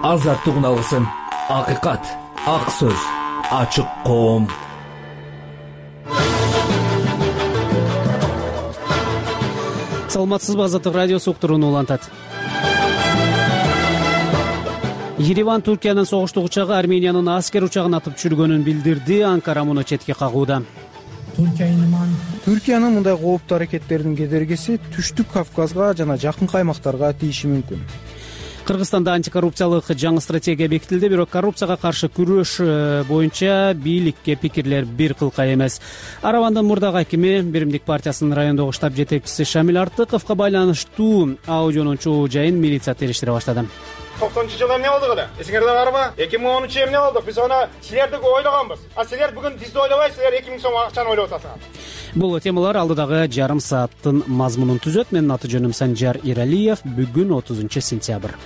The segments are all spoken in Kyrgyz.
азаттык уналгысын, акыйкат, ак сөз, ачык коом. Саламатсызбы, Азаттык радиосу уктурууну улантат. Ереван Туркиянын согуштук учагы Армениянын аскер учагын атып түшүргөнүн билдирди. Анкара муну четке кагууда. Түркиянын мындай кооптуу аракеттеринин кедергиси Түштүк Кавказга жана жакынкы аймактарга тийиши мүмкүн. Кыргызстанда антикоррупциялык жаңы стратегия бекитилди, бирок коррупцияга каршы күрөш боюнча бийликке пикирлер бир кылка эмес. Аравандын мурдагы акими, Биримдик партиясынын райондогу штаб жетекчиси Шамил Артыковго байланыштуу аудионун чогуу жайын милиция териштире баштады. 90-жылы эмне болдук эле? Эсиңерде барбы? 2013 эмне болдук? Биз аны силерди ойлогонбуз. А силер бүгүн бизди ойлобойсуңар, 2000 сом акчаны ойлоп атасыңар. Бул темалар алдыдагы жарым сааттын мазмунун түзөт. Менин аты жөнүм Санжар Иралиев. Бүгүн 30-сентябрь.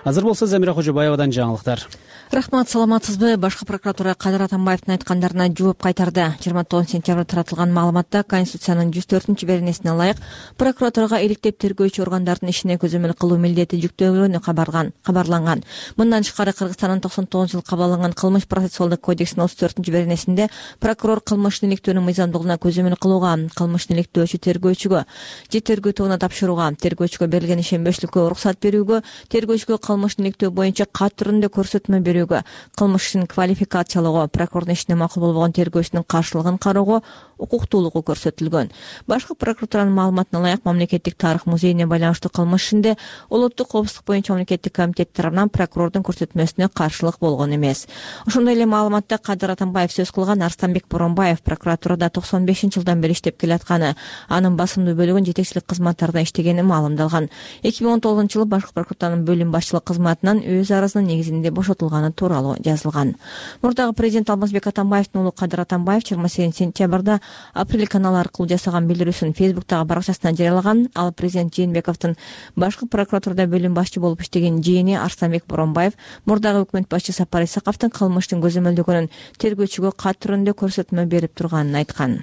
Азыр болсо Замира Кожобаевадан жаңылыктар. Рахмат, саламатсызбы? Башкы прокуратура Кадыр Атамбаевдин айткандарына жооп кайтарды. 29 сентябрда таратылган маалыматта Конституциянын 104 беренесине ылайык прокуратурага иликтеп тергөөчү органдардын ишине көзөмөл кылуу милдети жүктөлгөнү кабарланган. Мындан тышкары Кыргызстандын 99 жылы кабыл алынган кылмыш процессуалдык кодексинин 34 беренесинде прокурор кылмыштын иликтөөнүн мыйзамдуулугуна көзөмөл кылууга, кылмыштын иликтөөчү тергөөчүгө же тергөө тобуна тапшырууга, тергөөчүгө берилген ишенбештикке уруксат берүүгө, тергөөчүгө кылмыштын иликтөө боюнча кат түрүндө көрсөтмө берүүгө, кылмыш ишин квалификациялоого, прокурордун ишине макул болбогон тергөөчүнүн каршылыгын кароого укуктуулугу көрсөтүлгөн. Башкы прокуратуранын маалыматына ылайык Мамлекеттик тарых музейине байланыштуу кылмыш ишинде улуттук коопсуздук боюнча мамлекеттик комитет тарабынан прокурордун көрсөтмөсүнө каршылык болгон эмес. Ошондой эле маалыматта Кадыр Атамбаев сөз кылган Арстанбек Боронбаев прокуратурада 95-жылдан бери иштеп келатканы, анын басымдуу бөлүгүн жетекчилик кызматтарда иштегени маалымдалган. 2019-жылы башкы прокуратуранын бөлүм башчылык кызматынан өз арызынын негизинде бошотулганы тууралуу жазылган. Мурдагы президент Алмазбек Атамбаевдин уулу Кадыр Атамбаев 28 сентябрда Апрель каналы аркылуу жасаган билдирүүсүн Фейсбуктагы баракчасына жарыялаган. Ал президент Жээнбековдун башкы прокуратурада бөлүм башчы болуп иштеген жээни Арстанбек Боронбаев мурдагы өкмөт башчы Сапар Исаковдун кылмыштын көзөмөлдөгөнүн тергөөчүгө кат түрүндө көрсөтмө берип турганын айткан.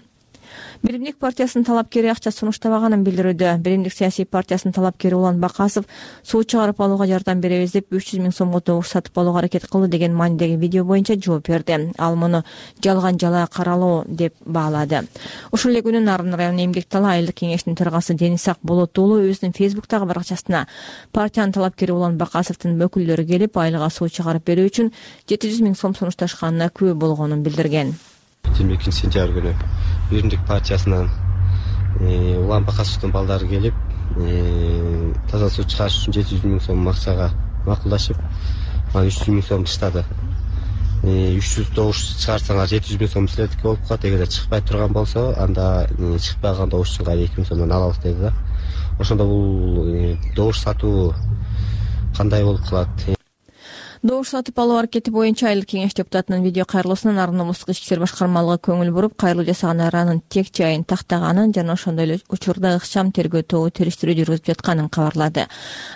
Биримдик партиясынын талапкери акча сунуштабаганын билдирүүдө. Биримдик саясий партиясынын талапкери Улан Бакасов суу чыгарып алууга жардам беребиз деп 300 000 сомго добуш сатып алууга аракет кылды деген маанидеги видео боюнча жооп берди. Ал муну жалган жалаа каралоо деп баалады. Ошол эле күнү Нарын районунун Эмгек Тала айылдык кеңешинин төрагасы Денисак Болот уулу өзүнүн Фейсбуктагы баракчасына партиянын талапкери Улан Бакасовдун өкүлдөрү келип айылга суу чыгарып берүү үчүн 700 000 сом сунушташканына күбө болгонун билдирген. 22 сентябрь күнү Биримдик партиясынан Улан Бакасовдун балдары келип таза суу чыгарыш үчүн 700 000 сом акчага макулдашып, анан 300 000 сом таштады. 300 добуш чыгарсаңар 700 000 сом силердики болуп калат, эгерде чыкпай турган болсо анда чыкпаган добуш үчүн 2 000 сомдон алабыз деди да. Ошондо бул добуш сатуу кандай болуп калат? Добуш сатып алуу аракети боюнча айылдык кеңеш депутатынын видео кайрылуусунан Нарын облустук ички иштер башкармалыгы көңүл буруп, кайрылуу жасаган аранын тек жайын тактаганын жана ошондой эле учурда ыкчам тергөө тобу териштирүү жүргүзүп жатканын кабарлады.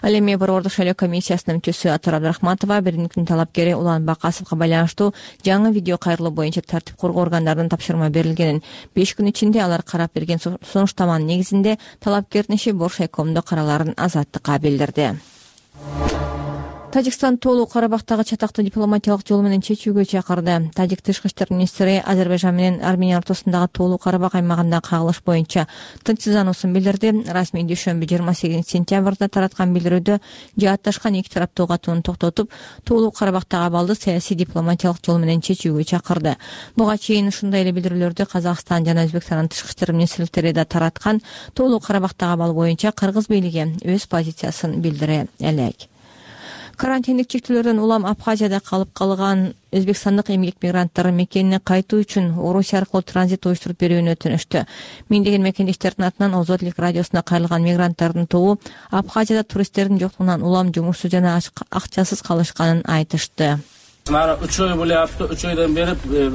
Ал эми Борбордук шайлоо комиссиясынын мүчөсү Атар Абдрахматова Биримдиктин талапкери Улан Бакасовго байланыштуу жаңы видео кайрылуу боюнча тартип коргоо органдарынан тапшырма берилгенин, 5 күн ичинде алар карап берген сунуштаманын негизинде талапкердин иши Боршайкомдо караларын Азаттыкка билдирди. Тажикстан Тоолуу Карабактагы чатакты дипломатиялык жол менен чечүүгө чакырды. Тажик тышкы иштер министри Азербайжан менен Армения ортосундагы Тоолуу Карабак аймагындагы кагылыш боюнча тынчсыздануусун билдирди. Расмий дүйшөмбү 28 сентябрда тараткан билдирүүдө жаатташкан эки тараптуу катууну токтотуп, Тоолуу Карабактагы абалды саясий дипломатиялык жол менен чечүүгө чакырды. Буга чейин ушундай эле билдирүүлөрдү Казакстан жана Өзбекстандын тышкы иштер министрликтери да тараткан. Тоолуу Карабактагы абал боюнча Кыргыз бийлиги өз позициясын билдире элек. Карантиндик чектөөлөрдөн улам Абхазияда калып калган өзбекстандык эмгек мигранттары мекенине кайтуу үчүн Орусия аркылуу транзит уюштуруп берүүнү өтүнүштү. Миңдеген мекендештердин атынан Озодлик радиосуна кайрылган мигранттардын тобу Абхазияда туристтердин жоктугунан улам жумушсуз жана акчасыз калышканын айтышты. Мана 3 ой болупту, 3 ойдон бери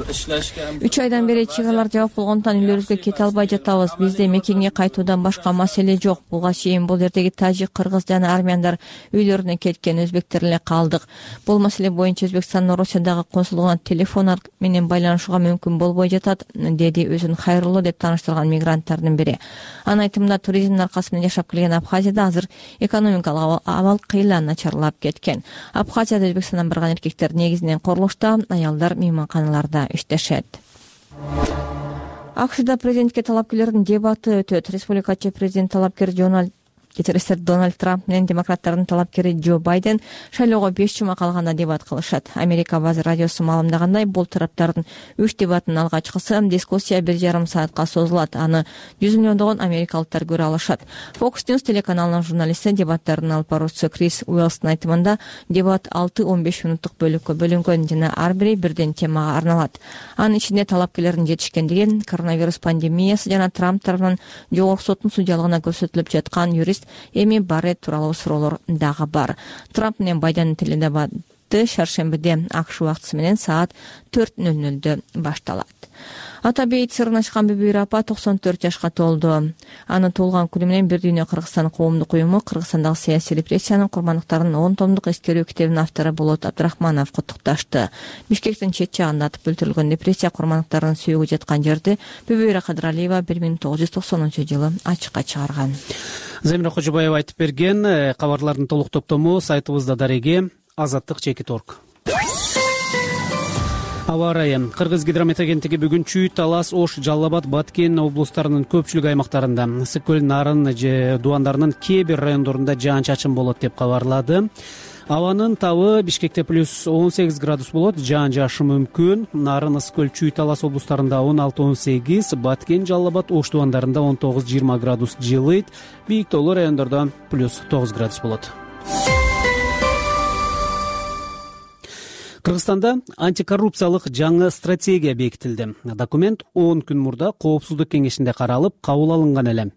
иштешке. 3 айдан бери чек аралар жабык болгондуктан үйлөрүбүзгө кете албай жатабыз. Бизде мекенге кайтуудан башка маселе жок. Буга чейин бул жердеги тажик, кыргыз жана армяндар үйлөрүнө кеткен, өзбектер эле калдык. Бул маселе боюнча Өзбекстандын Россиядагы консулдугуна телефон менен байланышууга мүмкүн болбой жатат, деди өзүн Хайрулло деп тааныштырган мигранттардын бири. Анын айтымында туризмдин аркасы менен жашап келген Абхазияда азыр экономикалык абал кыйла начарлап кеткен. Абхазияда Өзбекстандан барган эркектер негизинен курулушта, аялдар мейманканаларда иштешет. АКШда президентке талапкерлердин дебаты өтөт. Республикачы президент талапкер Дональд Трамп менен демократтардын талапкери Джо Байден шайлоого 5 жума калганда дебат кылышат. Америка Базы радиосу маалымдагандай, бул тараптардын 3 дебатын алгачкысы дискуссия 1,5 саатка созулат. Аны 100 миллиондогон америкалыктар көрө алышат. Fox News телеканалынын журналисти, дебаттардын алып баруучусу Крис Уэллстын айтымында, дебат 6-15 мүнөттүк бөлүккө бөлүнгөн жана ар бири бирден темага арналат. Анын ичинде талапкерлердин жетишкендиги, коронавирус пандемиясы жана Трамп тарабынан жогорку соттун судьялыгына көрсөтүлүп жаткан юрист Эми Барретт тууралуу суроолор дагы бар. Трамп менен Байдендин теледебаты шаршембиде АКШ убактысы менен саат 4:00 башталат. Ата бейит сырын ачкан Бүбүйүр апа 94 жашка толду. Аны туулган күнү менен Бир дүйнө Кыргызстан коомдук уюму Кыргызстандагы саясий репрессиянын курмандыктарынын 10 томдук эскерүү китебинин автору Болот Абдрахманов куттукташты. Бишкектин чет жагында атып өлтүрүлгөн репрессия курмандыктарынын сүйөгү жаткан жерди Бүбүйүр Кадыралиева 1990-жылы ачыкка чыгарган. Замира Кожобаева айтып берген. Кабарлардын толук топтому сайтыбызда дареги azatlyk.org. Аба ырайы. Кыргыз гидромет агенттиги бүгүн Чүй, Талас, Ош, Жалал Абад, Баткен облустарынын көпчүлүк аймактарында, ысык көл, Нарын же Дубандарынын кээ бир райондорунда жаан-чачын болот деп кабарлады. Абанын табы Бишкекте плюс 18 градус болот, жаан жаашы мүмкүн. Нарын, ысык көл, Чүй, Талас облустарында 16-18, Баткен, Жалал Абад, Ош Дубандарында 19-20 градус жылыйт. Бийик тоолуу райондордо плюс 9 градус болот. Кыргызстанда антикоррупциялык жаңы стратегия бекитилди. Документ 10 күн мурда Коопсуздук кеңешинде каралып, кабыл алынган эле.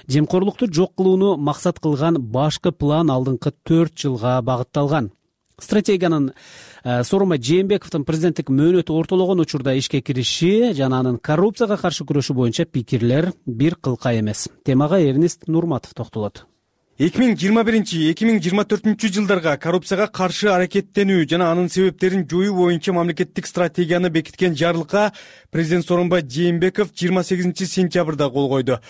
Жемкорлукту жок кылууну максат кылган башкы план алдыңкы 4 жылга багытталган. Стратегиянын Сооронбай Жээнбековдун президенттик мөөнөтү ортологон учурда ишке кириши жана анын коррупцияга каршы күрөшүү боюнча пикирлер бир кылка эмес. Темага Эрнест Нурматов токтолот. 2021-2024 жылдарга коррупцияга каршы аракеттенүү жана анын себептерин жоюу боюнча мамлекеттик стратегияны бекиткен жарлыкка президент Сооронбай Жээнбеков 28 сентябрда кол койду.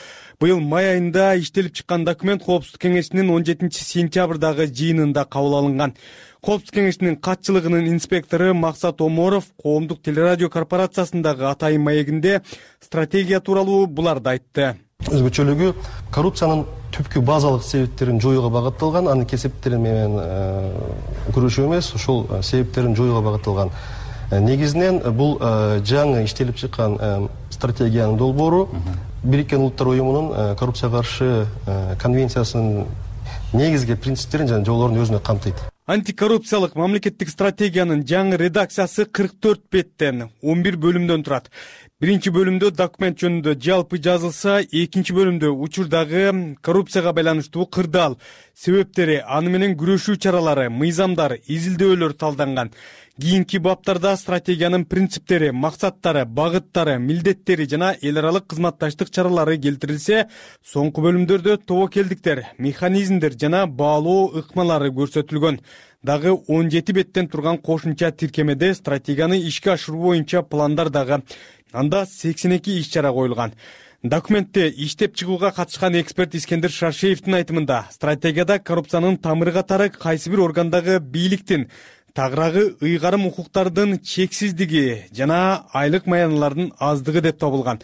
Быйыл май айында иштелип чыккан документ Коопсуздук кеңешинин 17 сентябрдагы жыйынында кабыл алынган. Коопсуздук кеңешинин катчылыгынын инспектору Максат Оморов коомдук телерадио корпорациясындагы атайын маегинде стратегия тууралуу буларды айтты. Өзгөчөлүгү коррупциянын түпкү базалык себептерин жоюуга багытталган, анын кесептери менен күрөшүү эмес, ошол себептерин жоюуга багытталган. Негизинен бул жаңы иштелип чыккан стратегиянын долбоору Бириккен Улуттар уюмунун коррупцияга каршы конвенциясынын негизги принциптерин жана жоболорун өзүнө камтыйт. Антикоррупциялык мамлекеттик стратегиянын жаңы редакциясы 44 беттен 11 бөлүмдөн турат. Биринчи бөлүмдө документ жөнүндө жалпы жазылса, экинчи бөлүмдө учурдагы коррупцияга байланыштуу кырдаал, себептери, аны менен күрөшүү чаралары, мыйзамдар, изилдөөлөр талданган. Кийинки баптарда стратегиянын принциптери, максаттары, багыттары, милдеттери жана эл аралык кызматташтык чаралары келтирилсе, соңку бөлүмдөрдө тобокелдиктер, механизмдер жана баалоо ыкмалары көрсөтүлгөн. Дагы 17 беттен турган кошумча тиркемеде стратегияны ишке ашыруу боюнча пландар дагы. Анда 82 иш-чара коюлган. Документте иштеп чыгууга катышкан эксперт Искендер Шаршеевдин айтымында, стратегияда коррупциянын тамыры катары кайсы бир органдагы бийликтин тагыраагы ыйгарым укуктардын чексиздиги жана айлык маяналардын аздыгы деп табылган.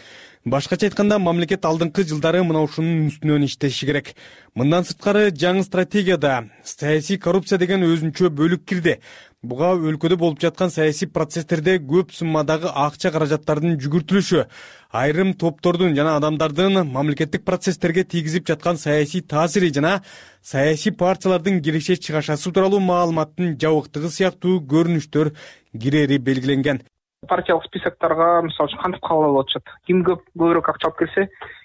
Башкача айтканда, мамлекет алдыңкы жылдары мына ушунун үстүнөн иштеши керек. Мындан сырткары жаңы стратегияда саясий коррупция деген өзүнчө бөлүк кирди. Буга өлкөдө болуп жаткан саясий процесстерде көп суммадагы акча каражаттардын жүгүртүлүшү, айрым топтордун жана адамдардын мамлекеттик процесстерге тийгизип жаткан саясий таасири жана саясий партиялардын киреше чыгашасы тууралуу маалыматтын жабыктыгы сыяктуу көрүнүштөр кирери белгиленген. Партиялык списокторго мисалы үчүн кантип кабыл алып атышат? Ким көбүрөөк акча алып келсе,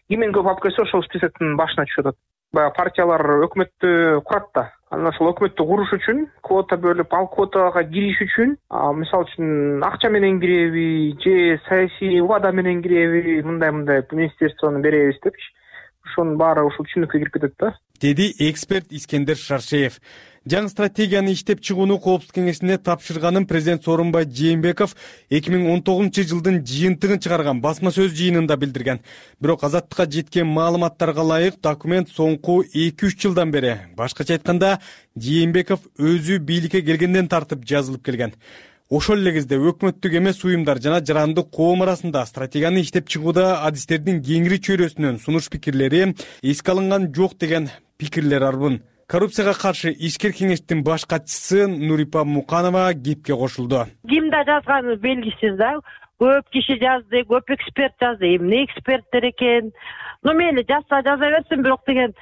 киммен көп алып келсе, ошол списоктун башына түшүп атат. Баягы партиялар өкмөттү курат да. Анан ошол өкмөттү куруш үчүн квота бөлүп, ал квотага кириш үчүн мисалы үчүн акча менен киреби же саясий убада менен киреби, мындай министерствону беребиз депчи. Ошонун баары ушул түшүнүккө кирип кетет да, деди эксперт Искендер Шаршеев. Жаңы стратегияны иштеп чыгууну Коопсуздук кеңешине тапшырганын президент Сооронбай Жээнбеков 2019 жылдын жыйынтыгын чыгарган басма сөз жыйынында билдирген. Бирок азаттыкка жеткен маалыматтарга ылайык документ соңку 2-3 жылдан бери, башкача айтканда, Жээнбеков өзү бийликке келгенден тартып жазылып келген. Ошол эле кезде өкмөттүк эмес уюмдар жана жарандык коом арасында стратегияны иштеп чыгууда адистердин кеңири чөйрөсүнөн сунуш пикирлери эске алынган жок деген пикирлер арбын. Коррупцияга каршы ишкер кеңештин баш катчысы Нурипа Муканова кепке кошулду. Кимде жазганы белгисиз да. Көп киши жазды, көп эксперт жазды. Эмне эксперттер экен? Мейли жазса берсин, бирок деген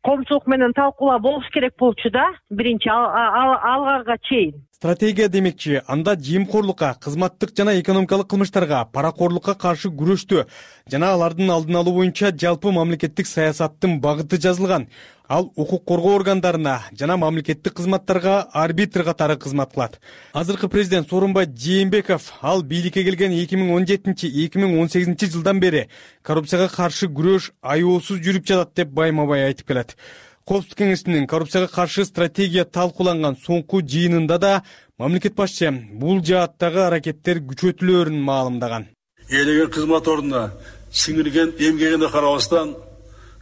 коомчулук менен талкуулаа болуш керек болчу да. Биринчи алганга чейин. Стратегия демекчи, анда жемкорлукка, кызматтык жана экономикалык кылмыштарга, паракорлукка каршы күрөштү жана алардын алдын алуу боюнча жалпы мамлекеттик саясаттын багыты жазылган. Ал укук коргоо органдарына жана мамлекеттик кызматтарга арбитр катары кызмат кылат. Азыркы президент Сооронбай Жээнбеков ал бийликке келген 2017-2018 жылдан бери коррупцияга каршы күрөш аеосуз жүрүп жатат деп байма-бай айтып келет. Коопсуздук кеңешинин коррупцияга каршы стратегия талкууланган соңку жыйынында да мамлекет башчы бул жааттагы аракеттер күчөтүлөөрүн маалымдаган. Ээлеген кызмат ордуна сиңирген эмгегине карабастан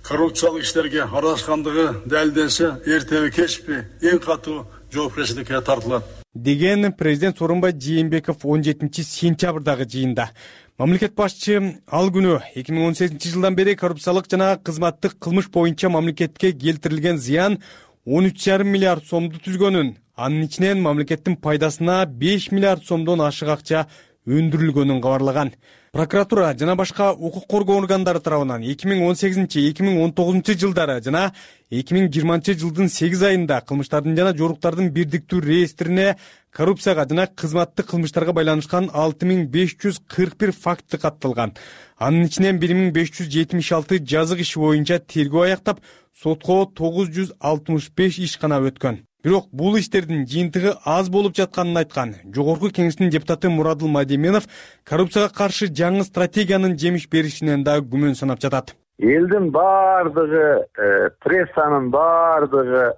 коррупциялык иштерге аралашкандыгы далилденсе, эртеби кечпи эң катуу жоопкерчиликке тартылат деген президент Сооронбай Жээнбеков 17 сентябрдагы жыйында. Мамлекет башчы ал күнү 2018 жылдан бери коррупциялык жана кызматтык кылмыш боюнча мамлекетке келтирилген зыян 13,5 миллиард сомду түзгөнүн, анын ичинен мамлекеттин пайдасына 5 миллиард сомдон ашык акча өндүрүлгөнүн кабарлаган. Прокуратура жана башка укук коргоо органдары тарабынан 2018-2019 жылдары жана 2020 жылдын 8 айында кылмыштардын жана жоруктардын бирдиктүү реестрине коррупцияга жана кызматтык кылмыштарга байланышкан 6541 факты катталган. Анын ичинен 1576 жазык иши боюнча тергөө аяктап, сотко 965 иш гана өткөн. Бирок бул иштердин жыйынтыгы аз болуп жатканын айткан Жогорку кеңештин депутаты Мурадыл Мадименов коррупцияга каршы жаңы стратегиянын жемиш беришинен да күмөн санап жатат. Элдин бардыгы, прессанын бардыгы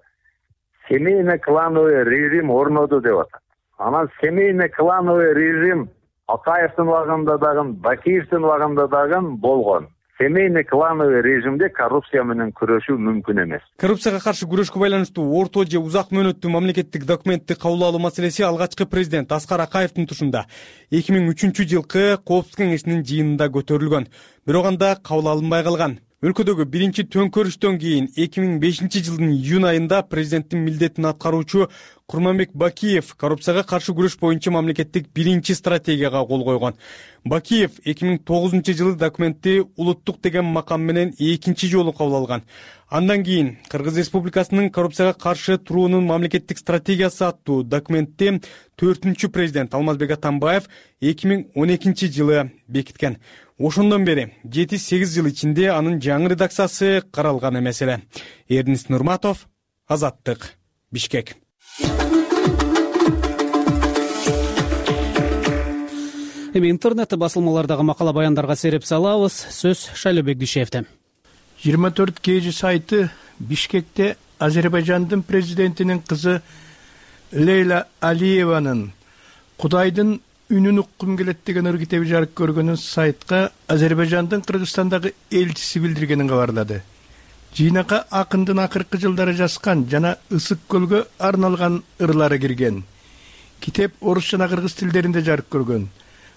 семейно-клановый режим орноду деп атат. Анан семейно-клановый режим Акаевдин убагында дагы, Бакиевдин убагында дагы болгон. Семейно-клановый режимде коррупция менен күрөшүү мүмкүн эмес. Коррупцияга каршы күрөшкө байланыштуу орто же узак мөөнөттүү мамлекеттик документти кабыл алуу маселеси алгачкы президент Аскар Акаевдин тушунда 2003 жылкы Коопсуздук кеңешинин жыйынында көтөрүлгөн. Бирок анда кабыл алынбай калган. Өлкөдөгү биринчи төңкөрүштөн кийин 2005 жылдын июнь айында президенттин милдетин аткаруучу Курманбек Бакиев коррупцияга каршы күрөш боюнча мамлекеттик биринчи стратегияга кол койгон. Бакиев 2009 жылы документти улуттук деген макам менен экинчи жолу кабыл алган. Андан кийин Кыргыз Республикасынын коррупцияга каршы туруунун мамлекеттик стратегиясы аттуу документти 4-чү президент Алмазбек Атамбаев 2012 жылы бекиткен. Ошондон бери 7-8 жыл ичинде анын жаңы редакциясы каралган эмес эле. Эрдинис Нурматов, Азаттык, Бишкек. Эми интернет басылмалардагы макала баяндарга сереп салабыз. Сөз Шайлообек Дүйшевде. 24 KG сайты Бишкекте Азербайжандын президентинин кызы Лейла Алиеванын Кудайдын үнүн уккум келет деген ыр китеби жарык көргөнүн сайтка Азербайжандын Кыргызстандагы элчиси билдиргенин кабарлады. Жыйнакка акындын акыркы жылдары жазган жана Ысык көлгө арналган ырлары кирген. Китеп орус жана кыргыз тилдеринде жарык көргөн.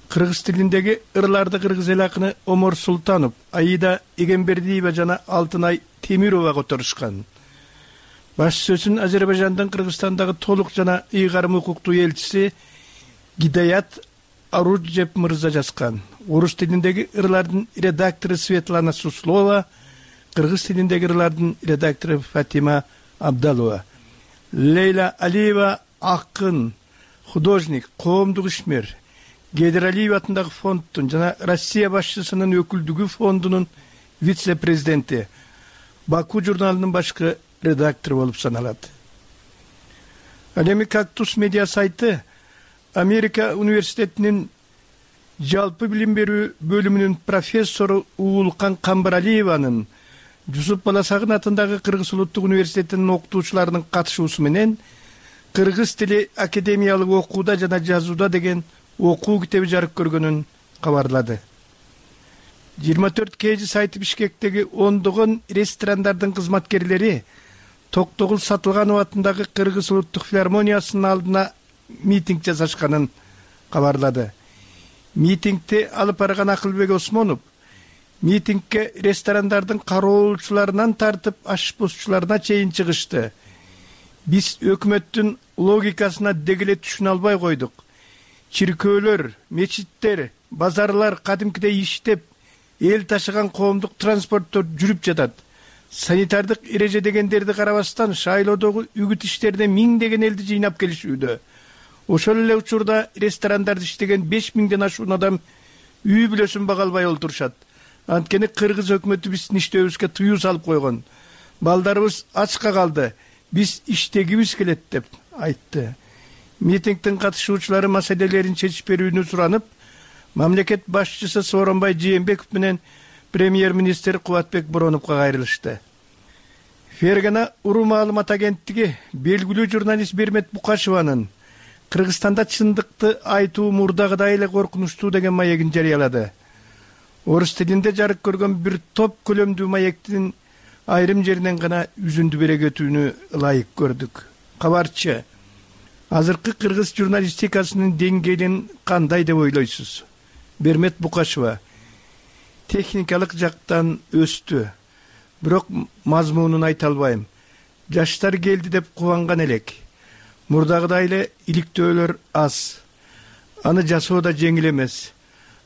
Кыргыз тилиндеги ырларды кыргыз эл акыны Омор Султанов, Аида Эгембердиева жана Алтынай Темирова которушкан. Баш сөзүн Азербайжандын Кыргызстандагы толук жана ыйгарым укуктуу элчиси Гидаят Аруджеп мырза жазган. Орус тилиндеги ырлардын редактору Светлана Суслова, кыргыз тилиндеги ырлардын редактору Фатима Абдалова. Лейла Алиева акын, художник, коомдук ишмер, Гейдер Алиев атындагы фонддун жана Россия башчысынын өкүлдүгү фондунун вице-президенти, Баку журналынын башкы редактору болуп саналат. Ал эми Кактус медиа сайты Америка университетинин жалпы билим берүү бөлүмүнүн профессору Уулкан Камбаралиеванын Жусуп Баласагын атындагы Кыргыз улуттук университетинин окутуучуларынын катышуусу менен кыргыз тили академиялык окууда жана жазууда деген окуу китеби жарык көргөнүн кабарлады. 24 KG сайты Бишкектеги ондогон ресторандардын кызматкерлери Токтогул Сатылганов атындагы Кыргыз улуттук филармониясынын алдына митинг жасашканын кабарлады. Митингди алып барган Акылбек Осмонов митингке ресторандардын кароолчуларынан тартып ашпозчуларына чейин чыгышты. Биз өкмөттүн логикасына дегеле түшүнө албай койдук. Чиркөөлөр, мечиттер, базарлар кадимкидей иштеп, эл ташыган коомдук транспорттор жүрүп жатат. Санитардык эреже дегендерди карабастан шайлоодогу үгүт иштерине миңдеген элди жыйнап келишүүдө. Ошол эле учурда ресторандарда иштеген 5000ден ашуун адам үй бүлөсүн бага албай олтурушат. Анткени кыргыз өкмөтү биздин иштөөбүзгө тыюу салып койгон. Балдарыбыз ачка калды. Биз иштегибиз келет деп айтты. Митингдин катышуучулары маселелерин чечип берүүнү суранып, мамлекет башчысы Сооронбай Жээнбеков менен премьер-министр Кубатбек Бороновго кайрылышты. Фергана Уру маалымат агенттиги белгилүү журналист Бермет Букашеванын Кыргызстанда чындыкты айтуу мурдагыдай эле коркунучтуу деген маегин жарыялады. Орус тилинде жарык көргөн бир топ көлөмдүү маектин айрым жеринен гана үзүндү бере кетүүнү ылайык көрдүк. Кабарчы, азыркы кыргыз журналистикасынын деңгээлин кандай деп ойлойсуз? Бермет Букашева: техникалык жактан өстү, бирок мазмунун айта албайм. Жаштар келди деп кубанган элек. Мурдагыдай эле иликтөөлөр аз. Аны жасоо да жеңил эмес.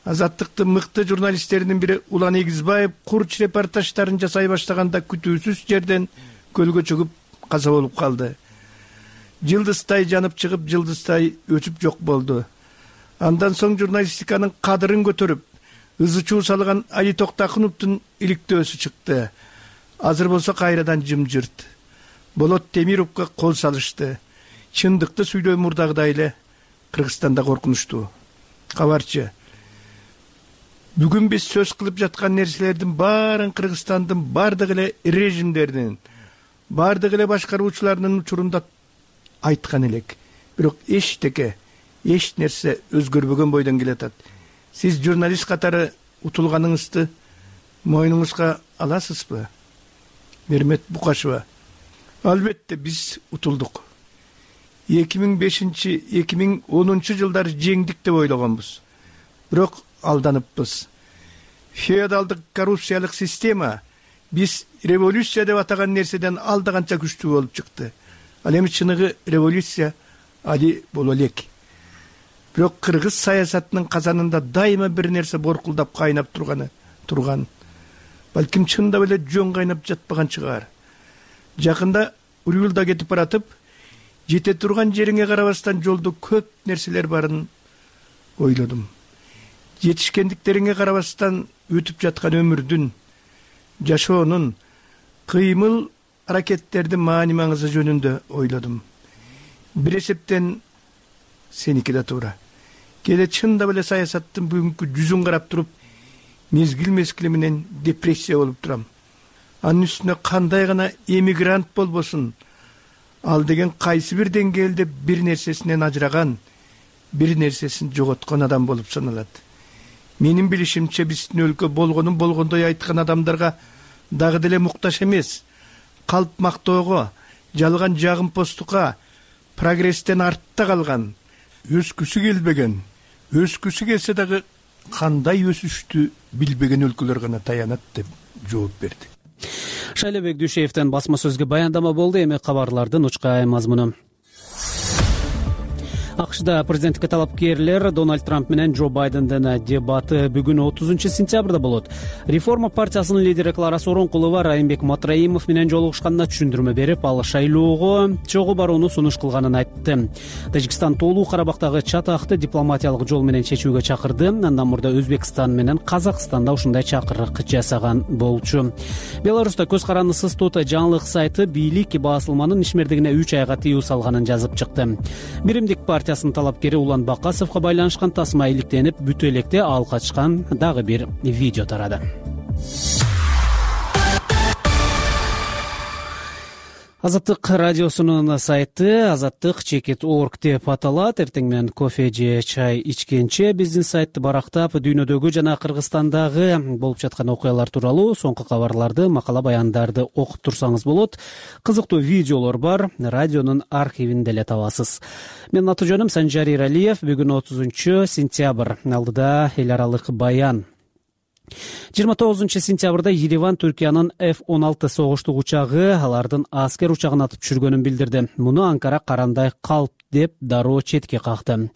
Азаттыктын мыкты журналисттеринин бири Улан Эгизбаев курч репортаждарын жасай баштаганда күтүүсүз жерден көлгө чөгүп каза болуп калды. Жылдызтай жанып чыгып, жылдызтай өчүп жок болду. Андан соң журналистиканын кадырын көтөрүп, ызы-чуу салган Али Токтакуновдун иликтөөсү чыкты. Азыр болсо кайрадан жымжырт. Болот Темировго кол салышты. Чындыкты сүйлөө мурдагыдай эле Кыргызстанда коркунучтуу. Кабарчы, бүгүн биз сөз кылып жаткан нерселердин баарын Кыргызстандын бардык эле режимдеринин, бардык эле башкаруучуларынын учурунда айткан элек. Бирок эч нерсе өзгөрбөгөн бойдон келатат. Сиз журналист катары утулганыңызды мойнуңузга аласызбы? Бермет Букашева: албетте биз утулдук. 2005-2010 жылдары жеңдик деп ойлогонбуз. Бирок алданыппыз. Феодалдык коррупциялык система биз революция деп атаган нерседен алдаганча күчтүү болуп чыкты. Ал эми чыныгы революция али боло элек. Бирок кыргыз саясатынын казанында дайыма бир нерсе боркулдап кайнап турган. Балким чындап эле жөн кайнап жатпаган чыгар. Жакында Урюлда кетип баратып, жете турган жериңе карабастан жолдо көп нерселер барын ойлодум. Жетишкендиктериңе карабастан өтүп жаткан өмүрдүн, жашоонун, кыймыл аракеттердин маани маңызы жөнүндө ойлодум. Бир эсептен сеники да туура. Кээде чындап эле саясаттын бүгүнкү жүзүн карап туруп, мезгил менен депрессия болуп турам. Анын үстүнө кандай гана эмигрант болбосун, ал деген кайсы бир деңгээлде бир нерсесинен ажыраган, бир нерсесин жоготкон адам болуп саналат. Менин билишимче биздин өлкө болгонун болгондой айткан адамдарга дагы деле муктаж эмес. Калп мактоого, жалган жагымпоздукка, прогресстен артта калган, өскүсү келбеген, өскүсү келсе дагы кандай өсүштү билбеген өлкөлөр гана таянат деп жооп берди. Шайлебек Дүйшеевден басма сөзгө баяндама болду. Эми кабарлардын учкай мазмуну. АКШда президенттикке талапкерлер Дональд Трамп менен Джо Байдендин дебаты бүгүн 30-сентябрда болот. Реформа партиясынын лидери Клара Сооронкулова Райымбек Матраимов менен жолугушканда түшүндүрмө берип, ал шайлоого чогуу барууну сунуш кылганын айтты. Тажикстан Тоолуу Карабактагы чатакты дипломатиялык жол менен чечүүгө чакырды. Андан мурда Өзбекстан менен Казакстанда ушундай чакырык жасаган болчу. Беларуста көз карандысыз Тота жаңылык сайты бийлик басылманын ишмердигине 3 айга тыюу салганын жазып чыкты. Биримдик партиясынын талапкери Улан Бакасовго байланышкан тасма иликтенип, бүт электе ал качкан дагы бир видео тарады. Азаттык радиосунун сайты azattik.org деп аталат. Эртең менен кофе же чай ичкенче биздин сайтты барактап, дүйнөдөгү жана Кыргызстандагы болуп жаткан окуялар тууралуу соңку кабарларды, макала баяндарды окуп турсаңыз болот. Кызыктуу видеолор бар, радионун архивинде эле табасыз. Менин аты жөнүм Санжар Иралиев. Бүгүн 30-сентябрь. Алдыда эл аралык баян. 29-сентябрда Ереван Түркиянын F-16 согуштук учагы алардын аскер учагын атып түшүргөнүн билдирди. Муну Анкара карандай калп деп дароо четке какты.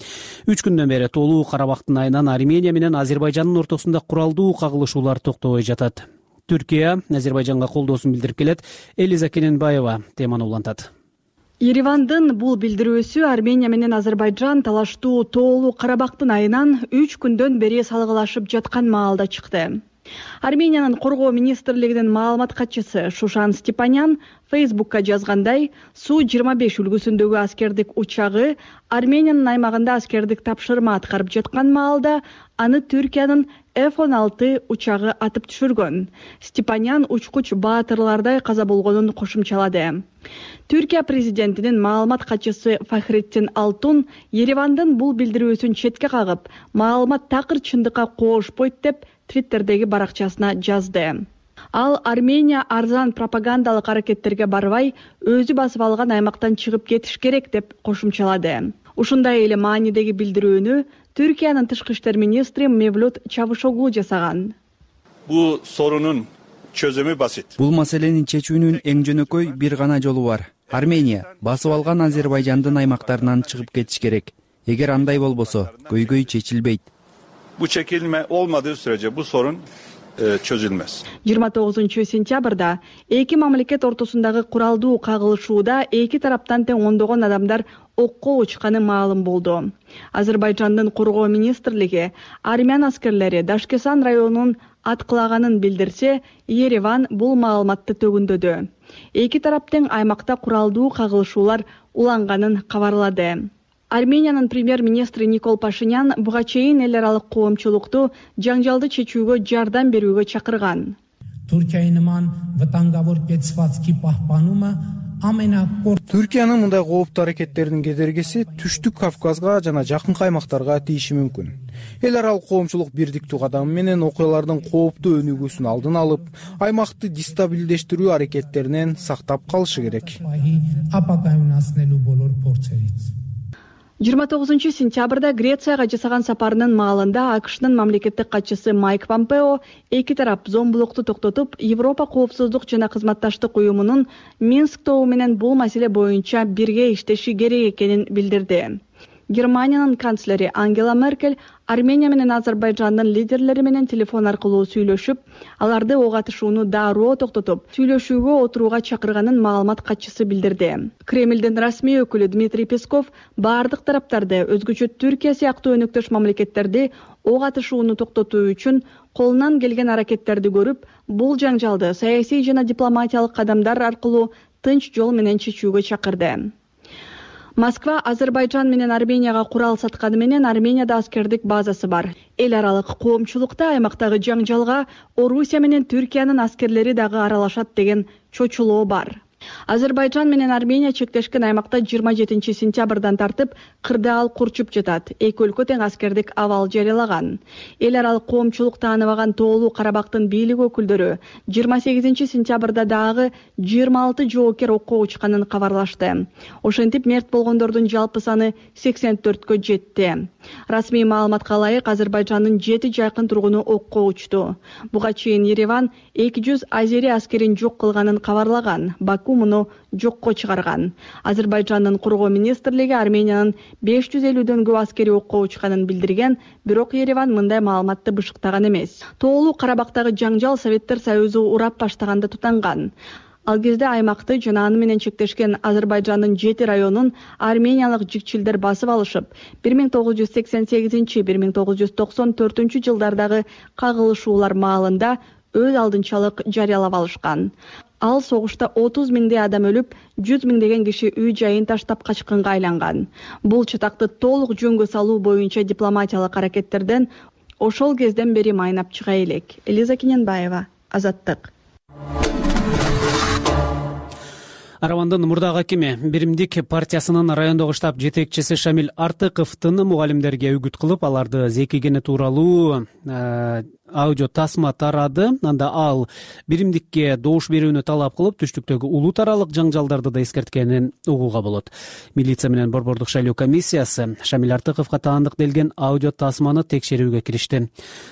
3 күндөн бери Тоолуу Карабактын айынан Армения менен Азербайжандын ортосунда куралдуу кагылышуулар токтобой жатат. Түркия Азербайжанга колдоосун билдирип келет. Элиза Кененбаева теманы улантат. Еревандын бул билдирүүсү Армения менен Азербайжан талаштуу Тоолуу Карабактын айынан 3 күндөн бери салгылашып жаткан маалда чыкты. Армениянын коргоо министрлигинин маалымат катчысы Шушан Степанян Фейсбукка жазгандай, Су-25 үлгүсүндөгү аскердик учагы Армениянын аймагында аскердик тапшырма аткарып жаткан маалда аны Түркиянын F-16 учагы атып түшүргөн. Степанян учкуч баатырлардай каза болгонун кошумчалады. Түркия президентинин маалымат катчысы Фахреттин Алтун Еревандын бул билдирүүсүн четке кагып, маалымат такыр чындыкка коошпойт деп Твиттердеги баракчасына жазды. Ал Армения арзан пропагандалык аракеттерге барбай, өзү басып алган аймактан чыгып кетиш керек деп кошумчалады. Ушундай эле маанидеги билдирүүнү Түркиянын тышкы иштер министри Мевлют Чавушоглу жасаган. Бул сорунун чөзүмү басит. Бул маселенин чечүүнүн эң жөнөкөй бир гана жолу бар. Армения басып алган Азербайжандын аймактарынан чыгып кетиш керек. Эгер андай болбосо, көйгөй чечилбейт. Bu çekilme olmadığı sürece bu sorun çözülmez. 29-сентябрда эки мамлекет ортосундагы куралдуу кагылышууда эки тараптан тең ондогон адамдар окко учканы маалым болду. Азербайжандын коргоо министрлиги армян аскерлери Дашкесан районунун аткылаганын билдирсе, Ереван бул маалыматты төгүндөдү. Эки тарап тең аймакта куралдуу кагылышуулар уланганын кабарлады. Армениянын премьер-министри Никол Пашинян буга чейин эл аралык коомчулукту жаңжалды чечүүгө жардам берүүгө чакырган. Түркиянын мындай кооптуу аракеттеринин кедергиси Түштүк Кавказга жана жакынкы аймактарга тийиши мүмкүн. Эл аралык коомчулук бирдиктүү кадам менен окуялардын кооптуу өнүгүүсүн алдын алып, аймакты дестабилдештирүү аракеттеринен сактап калышы керек. 29-сентябрда Грецияга жасаган сапарынын маалында АКШнын мамлекеттик катчысы Майк Помпео эки тарап зомбулукту токтотуп, Европа коопсуздук жана кызматташтык уюмунун Минск тобу менен бул маселе боюнча бирге иштеши керек экенин билдирди. Германиянын канцлери Ангела Меркель Армения менен Азербайжандын лидерлери менен телефон аркылуу сүйлөшүп, аларды ок атышууну дароо токтотуп, сүйлөшүүгө отурууга чакырганын маалымат катчысы билдирди. Кремлдин расмий өкүлү Дмитрий Песков бардык тараптарды, өзгөчө Түркия сыяктуу өнөктөш мамлекеттерди ок атышууну токтотуу үчүн колунан келген аракеттерди көрүп, бул жаңжалды саясий жана дипломатиялык кадамдар аркылуу тынч жол менен чечүүгө чакырды. Москва Азербайжан менен Арменияга курал сатканы менен Арменияда аскердик базасы бар. Эл аралык коомчулукта аймактагы жаңжалга Орусия менен Түркиянын аскерлери дагы аралашат деген чочулоо бар. Азербайжан менен Армения чектешкен аймакта 27-сентябрдан тартып кырдаал курчуп жатат. Эки өлкө тең аскердик абал жарыялаган. Эл аралык коомчулук тааныбаган Тоолуу Карабактын бийлик өкүлдөрү 28-сентябрда дагы 26 жоокер окко учканын кабарлашты. Ошентип мерт болгондордун жалпы саны 84кө жетти. Расмий маалыматка ылайык Азербайжандын 7 жакын тургуну окко учту. Буга чейин Ереван 200 азери аскерин жок кылганын кабарлаган. Баку укмуну жокко чыгарган. Азербайжандын коргоо министрлиги Армениянын 550дөн көп аскери окко учканын билдирген, бирок Ереван мындай маалыматты бышыктаган эмес. Тоолуу Карабактагы жаңжал Советтер Союзу урап баштаганда тутанган. Ал кезде аймакты жана аны менен чектешкен Азербайжандын 7 районун армениялык жикчилдер басып алышып, 1988-1994 жылдардагы кагылышуулар маалында өз алдынчалык жарыялап алышкан. Ал согушта 30 миңдей адам өлүп, 100 миңдеген киши үй жайын таштап качкынга айланган. Бул чатакты толук жөнгө салуу боюнча дипломатиялык аракеттерден ошол кезден бери майнап чыга элек. Элиза Кененбаева, Азаттык. Аравандын мурдагы акими Биримдик партиясынын райондогу штаб жетекчиси Шамил Артыковдун мугалимдерге үгүт кылып, аларды зекигени тууралуу аудио тасма тарады. Анда ал Биримдикке добуш берүүнү талап кылып, түштүктөгү улут аралык жаңжалдарды да эскерткенин угууга болот. Милиция менен Борбордук шайлоо комиссиясы Шамил Артыковго таандык делген аудио тасманы текшерүүгө киришти.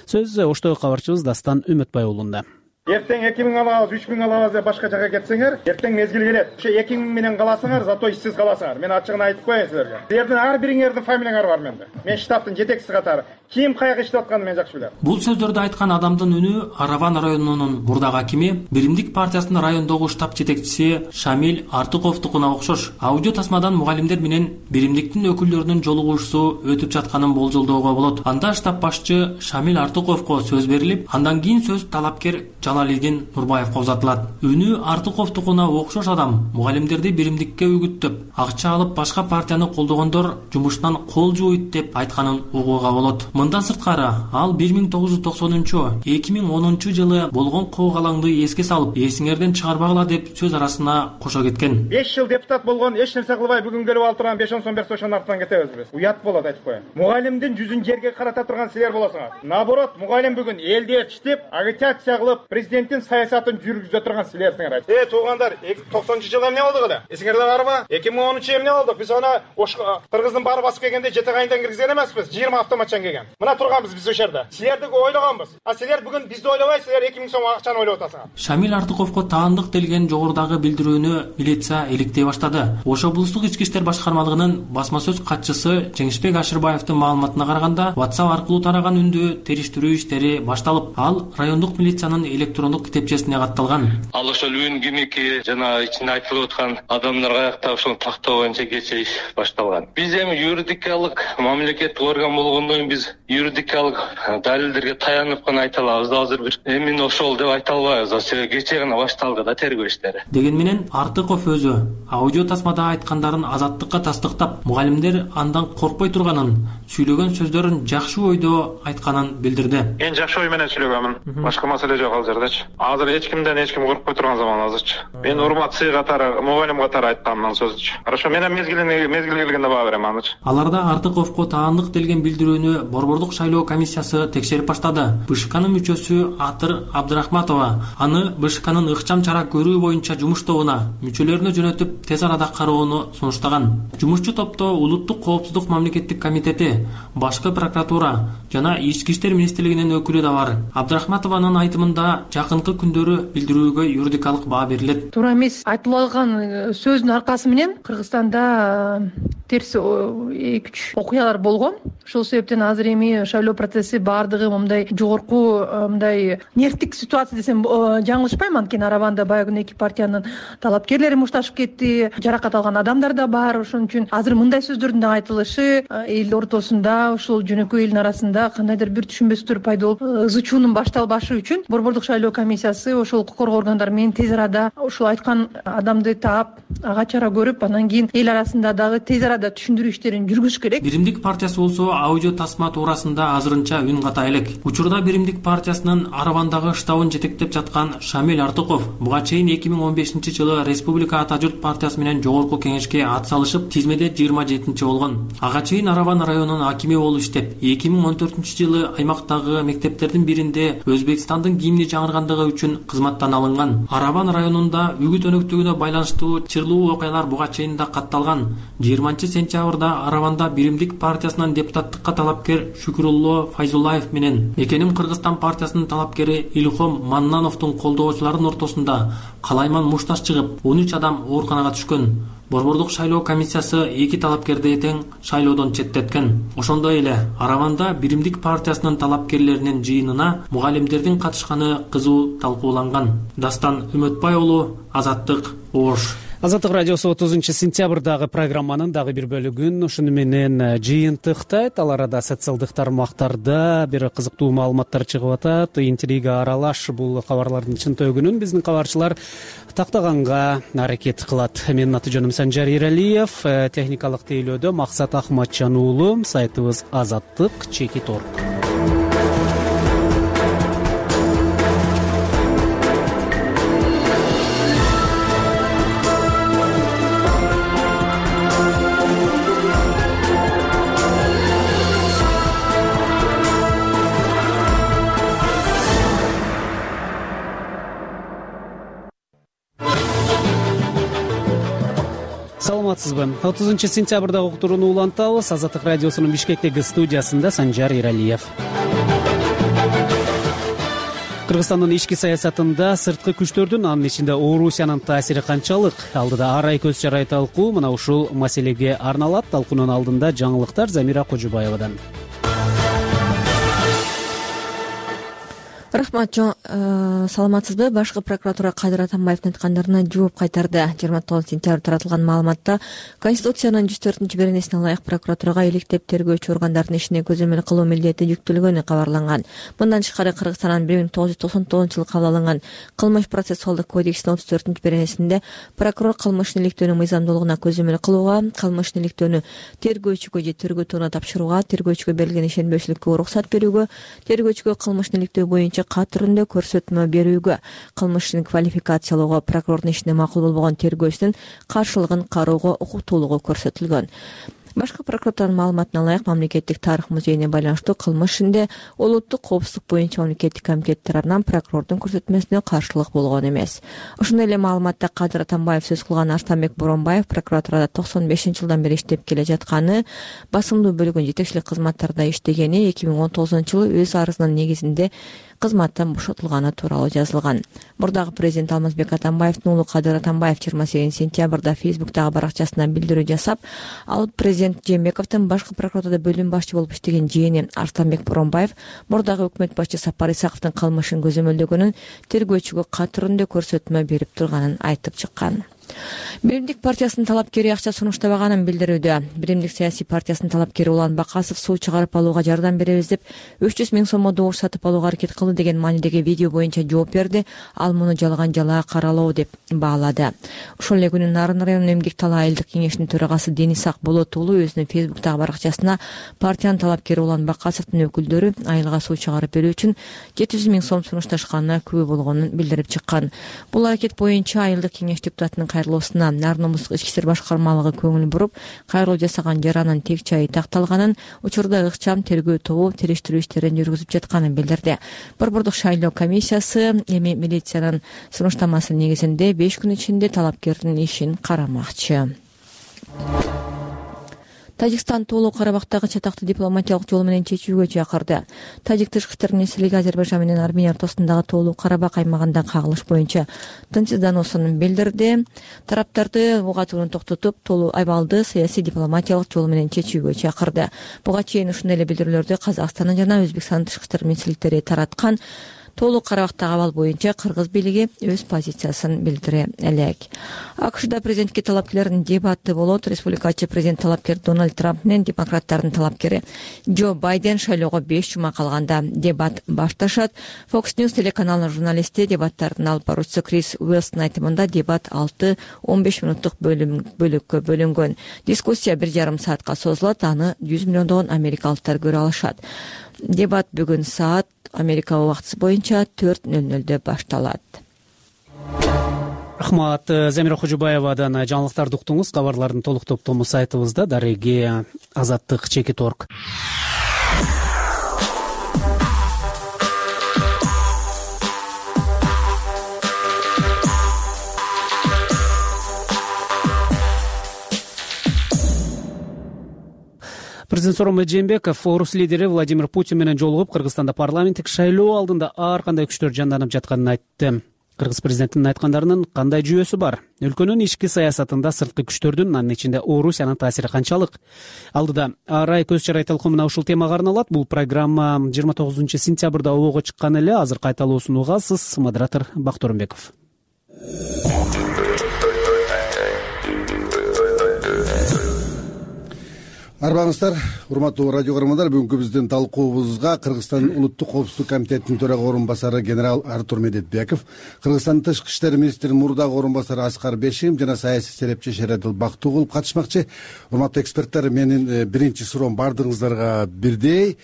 Сөз оштогу кабарчыбыз Дастан Үмөтбай уулунда. Эртең 2000 алабыз, 3000 алабыз деп башка жака кетсеңер, эртең мезгил келет. Ошо 2000 менен каласыңар, зато ишсиз каласыңар. Мен ачыгын айтып коеюн силерге. Силердин ар бириңердин фамилияңар бар менде. Мен штабтын жетекчиси катары. Ким каяка иштеп атканын мен жакшы билем. Бул сөздөрдү айткан адамдын үнү Араван районунун мурдагы акими, Биримдик партиясынын райондогу штаб жетекчиси Шамил Артыковдукуна окшош. Аудио тасмадан мугалимдер менен Биримдиктин өкүлдөрүнүн жолугушуусу өтүп жатканын болжолдоого болот. Анда штаб башчы Шамил Артыковго сөз берилип, андан кийин сөз талапкер Жалалидин Нурбаевго узатылат. Үнү Артыковдукуна окшош адам мугалимдерди Биримдикке үгүттөп, акча алып башка партияны колдогондор жумуштан кол жууйт деп айтканын угууга болот. Мындан сырткары, ал 1990-2010 жылы болгон коогалаңды эске салып, эсиңерден чыгарбагыла деп сөз арасына кошо кеткен. 5 жыл депутат болгон, эч нерсе кылбай бүгүн келип алып турган 5-10 сом берсе ошонун артынан кетебиз биз. Уят болот айтып коеюн. Мугалимдин жүзүн жерге карата турган силер болосуңар. Наоборот, мугалим бүгүн элди ээрчитип, агитация кылып, президенттин саясатын жүргүзө турган силерсиңер. Туугандар, 90-жылы эмне болду эле? Эсиңерде барбы? 2010 эмне болду? Биз аны Кыргыздын баары басып келгенде жете кайындан киргизген эмеспиз. 20 автоматчан келген. Мына турганбыз биз ошерде. Силерди ойлогонбуз. А силер бүгүн бизди ойлобойсуңар, 2000 сом акчаны ойлоп атасыңар. Шамил Артыковго таандык делген жогорудагы билдирүүнү милиция иликтей баштады. Ош облустук ички иштер башкармалыгынын басма сөз катчысы Жеңишбек Ашырбаевдин маалыматына караганда, WhatsApp аркылуу тараган үндү териштирүү иштери башталып, ал райондук милициянын электрондук китепчесине катталган. Ал ошол үн кимики жана ичинде айтылып аткан адамдарга аяктап ошону тактоо боюнча кечээ иш башталган. Биз эми юридикалык мамлекеттик орган болгондон кийин биз юридикалык далилдерге таянып гана айта алабыз. Азыр бир эмне ошол деп айта албайбыз. Себеби кечээ гана башталды да тергөө иштери. Деген менен Артыков өзү аудио тасмада айткандарын азаттыкка тастыктап, мугалимдер андан коркпой турганын, сүйлөгөн сөздөрүн жакшы ойдо айтканын билдирди. Мен жакшы ой менен сүйлөгөмүн. Башка маселе жок ал жердечи. Азыр эч кимден эч ким коркпой турган заман азырчы. Мен урмат сый катары, мугалим катары айтканмын сөзчү. Хорошо, мен мезгил келгенде баа берем анычы. Аларда Артыковго таандык делген билдирүүнү Борбордук шайлоо комиссиясы текшерип баштады. БШКнын мүчөсү Атыр Абдрахматова аны БШКнын ыкчам чара көрүү боюнча жумуш тобуна мүчөлөрүнө жөнөтүп, тез арада кароону сунуштаган. Жумушчу топто Улуттук коопсуздук мамлекеттик комитети, башкы прокуратура жана Ички иштер министрлигинин өкүлү да бар. Абдрахматованын айтымында жакынкы күндөрү билдирүүгө юридикалык баа берилет. Туура эмес айтылып алган сөздүн аркасы менен Кыргызстанда терс 2-3 окуялар болгон. Ошол себептен азыр эми шайлоо процесси баардыгы мындай жогорку мындай нервтик ситуация десем жаңылышпайм. Анткени Араванда баягы эки партиянын талапкерлери мушташып кетти, жаракат алган адамдар да бар. Ошон үчүн азыр мындай сөздөрдүн да айтылышы эл ортосунда, ошол жөнөкөй элдин арасында кандайдыр бир түшүнбөстүктөр пайда болуп, ызы чуунун башталбашы үчүн Борбордук шайлоо комиссиясы ошол укук коргоо органдары менен тез арада ошол айткан адамды таап, ага чара көрүп, анан кийин эл арасында дагы тез арада түшүндүрүү иштерин жүргүзүш керек. Биримдик партиясы болсо аудио тасма туурасында азырынча үн ката элек. Учурда Биримдик партиясынын Аравандагы штабын жетектеп жаткан Шамил Артыков буга чейин 2015-жылы Республика Ата журт партиясы менен жогорку кеңешке ат салышып, тизмеде 27-чи болгон. Ага чейин Араван районунун акими болуп иштеп, 2014-жылы аймактагы мектептердин биринде Өзбекстандын гимни жаңыргандыгы үчүн кызматтан алынган. Араван районунда үгүт өнөктүгүнө байланыштуу чырлуу окуялар буга чейин да катталган. 20-сентябрда Араванда Биримдик партиясынан депутаттыкка талапкер Шүкүрулло Файзуллаев менен Мекеним Кыргызстан партиясынын талапкери Илхом Маннановдун колдоочуларынын ортосунда калайман мушташ чыгып, 13 адам ооруканага түшкөн. Борбордук шайлоо комиссиясы 2 талапкерди тең шайлоодон четтеткен. Ошондой эле Араванда Биримдик партиясынын талапкерлеринин жыйынына мугалимдердин катышканы кызуу талкууланган. Дастан Үмөтбай уулу, Азаттык, Ош. Азаттык радиосу 30 сентябрдагы программанын дагы бир бөлүгүн ушуну менен жыйынтыктайт. Ал арада социалдык тармактарда бир кызыктуу маалыматтар чыгып атат. Интрига аралаш бул кабарлардын чынтөгүнүн биздин кабарчылар тактаганга аракет кылат. Менин аты жөнүм Санжар Иралиев, техникалык тейлөөдө Максат Ахматжан уулу, сайтыбыз azattik.org. Саламатсызбы? 30 сентябрдагы уктурууну улантабыз. Азаттык радиосунун Бишкектеги студиясында Санжар Иралиев. Кыргызстандын ички саясатында сырткы күчтөрдүн, анын ичинде Орусиянын таасири канчалык? Алдыда арай көз жарай талкуу мына ушул маселеге арналат. Талкуунун алдында жаңылыктар Замира Кожубаевадан. Рахмат, саламатсызбы? Башкы прокуратура Кадыр Атамбаевдин айткандарына жооп кайтарды. 29 сентябрда таратылган маалыматта Конституциянын 104 беренесине ылайык прокуратурага иликтеп тергөөчү органдардын ишине көзөмөл кылуу милдети жүктөлгөнү кабарланган. Мындан тышкары Кыргызстандын 1999-жылы кабыл алынган Кылмыш процессуалдык кодексинин 34 беренесинде прокурор кылмыштын иликтөөнүн мыйзамдуулугуна көзөмөл кылууга, кылмыштын иликтөөнү тергөөчүгө же тергөө тобуна тапшырууга, тергөөчүгө берилген ишенбөөчүлүккө уруксат берүүгө, тергөөчүгө кылмыштын иликтөө боюнча кат түрүндө көрсөтмө берүүгө, кылмыштын квалификациялоого, прокурордун ишине макул болбогон тергөөчүнүн каршылыгын кароого укуктуулугу көрсөтүлгөн. Башкы прокуратуранын маалыматына ылайык мамлекеттик тарых музейине байланыштуу кылмыш ишинде улуттук коопсуздук боюнча мамлекеттик комитет тарабынан прокурордун көрсөтмөсүнө каршылык болгон эмес. Ошондой эле маалыматта Кадыр Атамбаев сөз кылган Арстанбек Боронбаев прокуратурада 95-жылдан бери иштеп келе жатканы, басымдуу бөлүгүн жетекчилик кызматтарда иштегени, 2019-жылы өз арызынын негизинде кызматтан бошотулганы тууралуу жазылган. Мурдагы президент Алмазбек Атамбаевдин уулу Кадыр Атамбаев 28 сентябрда Фейсбуктагы баракчасына билдирүү жасап, ал президент Жээнбековдун башкы прокуратурада бөлүм башчы болуп иштеген жээни Арстанбек Боронбаев мурдагы өкмөт башчы Сапар Исаковдун кылмышын көзөмөлдөгөнүн, тергөөчүгө кат түрүндө көрсөтмө берип турганын айтып чыккан. Биримдик партиясынын талапкери акча сунуштабаганын билдирүүдө. Биримдик саясий партиясынын талапкери Улан Бакасов суу чыгарып алууга жардам беребиз деп 300 000 сомго добуш сатып алууга аракет кылды деген маанидеги видео боюнча жооп берди. Ал муну жалган жалаа каралоо деп баалады. Ошол эле күнү Нарын районунун эмгек талаа айылдык кеңешинин төрагасы Денис Акболот уулу өзүнүн Фейсбуктагы баракчасына партиянын талапкери Улан Бакасовдун өкүлдөрү айылга суу чыгарып берүү үчүн 700 000 сом сунушташканына күбө болгонун билдирип чыккан. Бул аракет боюнча айылдык кеңеш депутатынын кайрылуусуна Нарын облустук ички иштер башкармалыгы көңүл буруп, кайрылуу жасаган жаранын тек жайы такталганын, учурда ыкчам тергөө тобу териштирүү иштерин жүргүзүп жатканын билдирди. Борбордук шайлоо комиссиясы эми милициянын сунуштамасы негизинде 5 күн ичинде талапкердин ишин карамакчы. Тажикстан Тоолуу Карабактагы чатакты дипломатиялык жол менен чечүүгө чакырды. Тажик тышкы иштер министрлиги Азербайжан менен Армения ортосундагы Тоолуу Карабак аймагында кагылыш боюнча тынчсыздануусун билдирди. Тараптарды угатууну токтотуп, Тоолуу абалды саясий дипломатиялык жол менен чечүүгө чакырды. Буга чейин ушундай эле билдирүүлөрдү Казакстандын жана Өзбекстандын тышкы иштер министрликтери тараткан. Тоолуу Карабактагы абал боюнча кыргыз бийлиги өз позициясын билдире элек. АКШда президентке талапкерлердин дебаты болот. Республикачы президент талапкер Дональд Трамп менен демократтардын талапкери Джо Байден шайлоого 5 жума калганда дебат башташат. Fox News телеканалынын журналисти дебаттардын алып баруучусу Крис Уэлстин айтымында дебат 6-15 мүнөттук бөлүккө бөлүнгөн. Дискуссия 1,5 саатка созулат. Аны 100 миллиондогон америкалыктар көрө алышат. Дебат бүгүн саат Америка убактысы боюнча 4:00 башталат. Рахмат, Замира Кожубаевадан жаңылыктарды уктуңуз. Кабарлардын толук топтому сайтыбызда дареги azattik.org. Президент Сооронбай Жээнбеков орус лидери Владимир Путин менен жолугуп, Кыргызстанда парламенттик шайлоо алдында ар кандай күчтөр жанданып жатканын айтты. Кыргыз президентинин айткандарынын кандай жүйөсү бар? Өлкөнүн ички саясатында сырткы күчтөрдүн, анын ичинде Орусиянын таасири канчалык? Алдыда Арай көз чарай талкуумуна ушул темага арналат. Бул программа 29 сентябрда обого чыккан эле. Азыр кайталоосун угасыз. Модератор Бактурмбеков. Арбаңыздар, урматтуу радио көрөрмандар, бүгүнкү биздин талкуубузга Кыргызстан улуттук коопсуздук комитетинин төрага орун басары генерал Артур Медетбеков, Кыргызстандын тышкы иштер министринин мурдагы орун басары Аскар Бешим жана саясий серепчи Шередил Бактыгулов катышмакчы. Урматтуу эксперттер, менин биринчи суроом баардыгыңыздарга бирдей.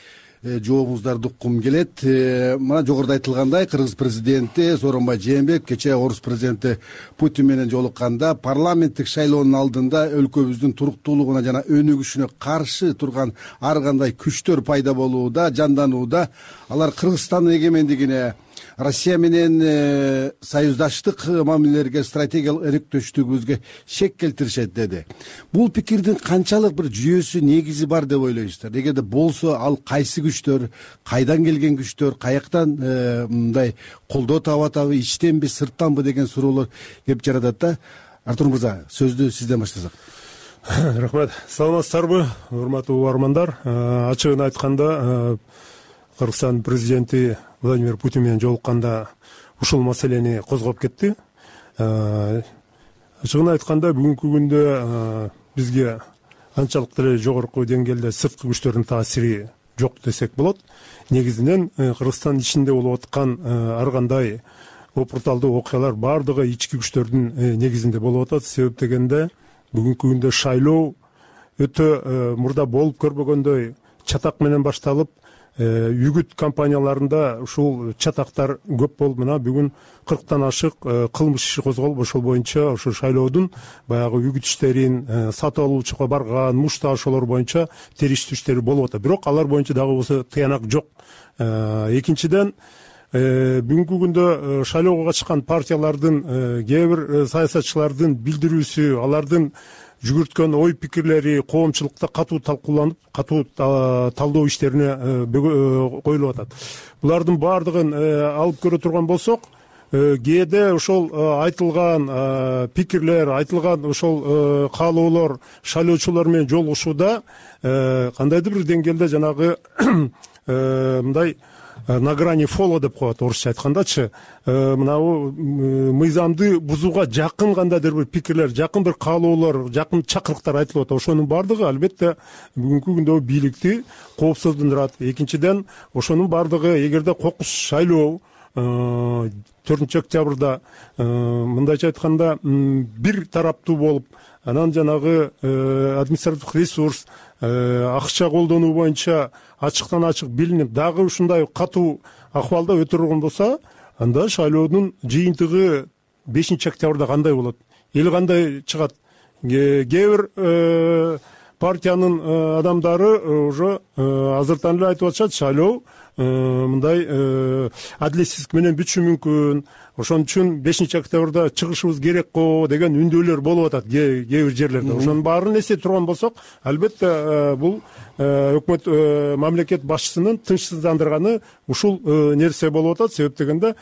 Жообуңуздарды уккум келет. Мына жогоруда айтылгандай, Кыргыз президенти Сооронбай Жээнбеков кечээ орус президенти Путин менен жолукканда парламенттик шайлоонун алдында өлкөбүздүн туруктуулугуна жана өнүгүшүнө каршы турган ар кандай күчтөр пайда болууда, жанданууда. Алар Кыргызстандын эгемендигине, Россия менен союздаштык мамилелерге, стратегиялык өнөктөштүгүбүзгө шек келтиришет деди. Бул пикирдин канчалык бир жүйөсү, негизи бар деп ойлойсуздар? Эгерде болсо, ал кайсы күчтөр, кайдан келген күчтөр, каяктан мындай колдоо таап атабы, ичтенби, сырттанбы деген суроолор келип жатат да. Артур мырза, сөздү сизден баштасак. Рахмат. Саламатсыздарбы, урматтуу угармандар? Ачыгын айтканда, Кыргызстан президенти Владимир Путин менен жолукканда ушул маселени козгоп кетти. Ачыгын айтканда, бүгүнкү күндө бизге анчалык деле жогорку деңгээлде сырткы күчтөрдүн таасири жок десек болот. Негизинен Кыргызстан ичинде болуп аткан ар кандай опурталдуу окуялар баардыгы ички күчтөрдүн негизинде болуп атат. Себеп дегенде бүгүнкү күндө шайлоо өтө мурда болуп көрбөгөндөй чатак менен башталып, үгүт компанияларында ушул чатактар көп болуп, мына бүгүн 40тан ашык кылмыш иши козголуп, ошол боюнча ошо шайлоодун баягы үгүт иштерин, сатып алуучуга барган мушташуулар боюнча териштирүү иштери болуп атат. Бирок алар боюнча дагы болсо тыянак жок. Экинчиден, бүгүнкү күндө шайлоого катышкан партиялардын, кээ бир саясатчылардын билдирүүсү, алардын жүгүрткөн ой пикирлери коомчулукта катуу талкууланып, катуу талдоо иштерине коюлуп атат. Булардын баардыгын алып көрө турган болсок, кээде ошол айтылган пикирлер, айтылган ошол каалоолор шайлоочулар менен жолугушууда кандайдыр бир деңгээлде жанагы мындай на грани фола деп коет орусча айткандачы, мынабу мыйзамды бузууга жакын кандайдыр бир пикирлер, жакын бир каалоолор, жакын чакырыктар айтылып атат. Ошонун баардыгы албетте бүгүнкү күндө бийликти коопсуздандырат. Экинчиден, ошонун баардыгы эгерде кокус шайлоо 4 октябрда мындайча айтканда бир тараптуу болуп, анан жанагы административдик ресурс, акча колдонуу боюнча ачыктан ачык билинип, дагы ушундай катуу акыбалда өтө турган болсо, анда шайлоонун жыйынтыгы 5 октябрда кандай болот? Эл кандай чыгат? Кээ бир партиянын адамдары уже азыртан эле айтып атышат, шайлоо мындай адилетсиздик менен бүтүшү мүмкүн. Ошон үчүн 5 октябрда чыгышыбыз керек го деген үндөөлөр болуп атат кээ бир жерлерде. Ошонун баарын эстете турган болсок, албетте бул өкмөт мамлекет башчысынын тынчсыздандырганы ушул нерсе болуп атат. Себеп дегенде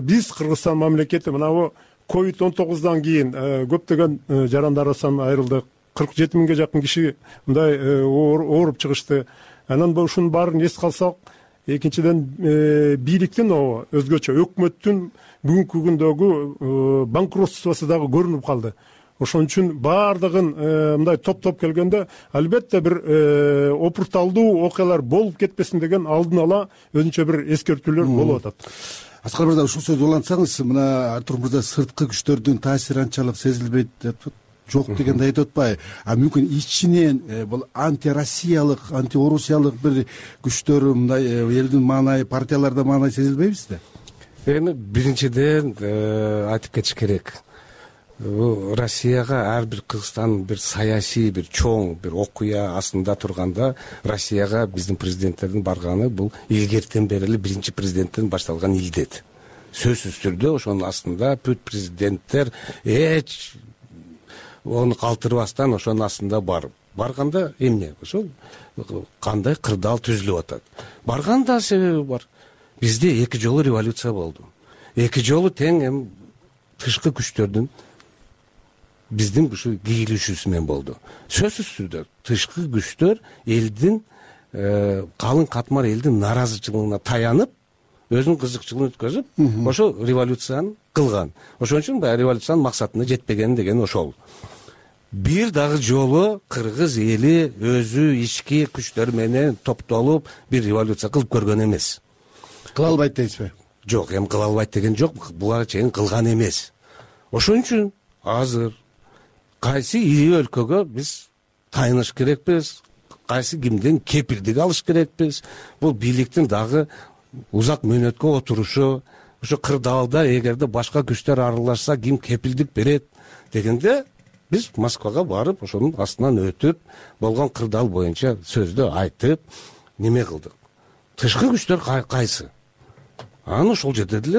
биз Кыргызстан мамлекети мынабу COVID-19 кийин көптөгөн жарандарыбыздан айрылдык. 47 миңге жакын киши мындай ооруп чыгышты. Анан ушунун баарын эске алсак, экинчиден бийликтин өзгөчө өкмөттүн бүгүнкү күндөгү банкротствосу дагы көрүнүп калды. Ошон үчүн баардыгын мындай топ келгенде албетте бир опурталдуу окуялар болуп кетпесин деген алдын ала өзүнчө бир эскертүүлөр болуп атат. Аскар мырза, ушул сөздү улантсаңыз, мына Артур мырза сырткы күчтөрдүн таасири анчалык сезилбейт деп жок дегенди айтып атпайбы? Мүмкүн ичинен бул антироссиялык, антиорусиялык бир күчтөр, мындай элдин маанайы, партияларда маанай сезилбейбизби? Эми биринчиден айтып кетиш керек. Россияга ар бир Кыргызстан бир саясий, бир чоң бир окуя астында турганда, Россияга биздин президенттердин барганы бул илгертен бери эле биринчи президенттен башталган илдет. Сөзсүз түрдө ошонун астында бүт президенттер эч оны калтырбастан ошонун астында барып, барганда эмне ошол кандай кырдаал түзүлүп атат. Барганда себеби бар. Бизде 2 жолу революция болду. 2 жолу тең эми тышкы күчтөрдүн биздин ушу кийлишүүсү менен болду. Сөзсүз түрдө тышкы күчтөр элдин калың катмар элдин нааразычылыгына таянып, өзүнүн кызыкчылыгын өткөзүп, ошо революцияны кылган. Ошон үчүн баягы революциянын максатына жетпеген деген ошол. Бир дагы жолу кыргыз эли өзү ички күчтөр менен топтолуп бир революция кылып көргөн эмес. Кыла албайт дейсизби? Жок, эми кыла албайт деген жок, буга чейин кылган эмес. Ошон үчүн азыр кайсы ири өлкөгө биз тайыныш керекпиз, кайсы кимден кепилдик алыш керекпиз. Бул бийликтин дагы узак мөөнөткө отурушу, ошо кырдаалда эгерде башка күчтөр аралашса ким кепилдик берет дегенде биз Москвага барып, ошонун астынан өтүп, болгон кырдаал боюнча сөздү айтып, неме кылдык. Тышкы күчтөр кайсы? Анан ошол жерде деле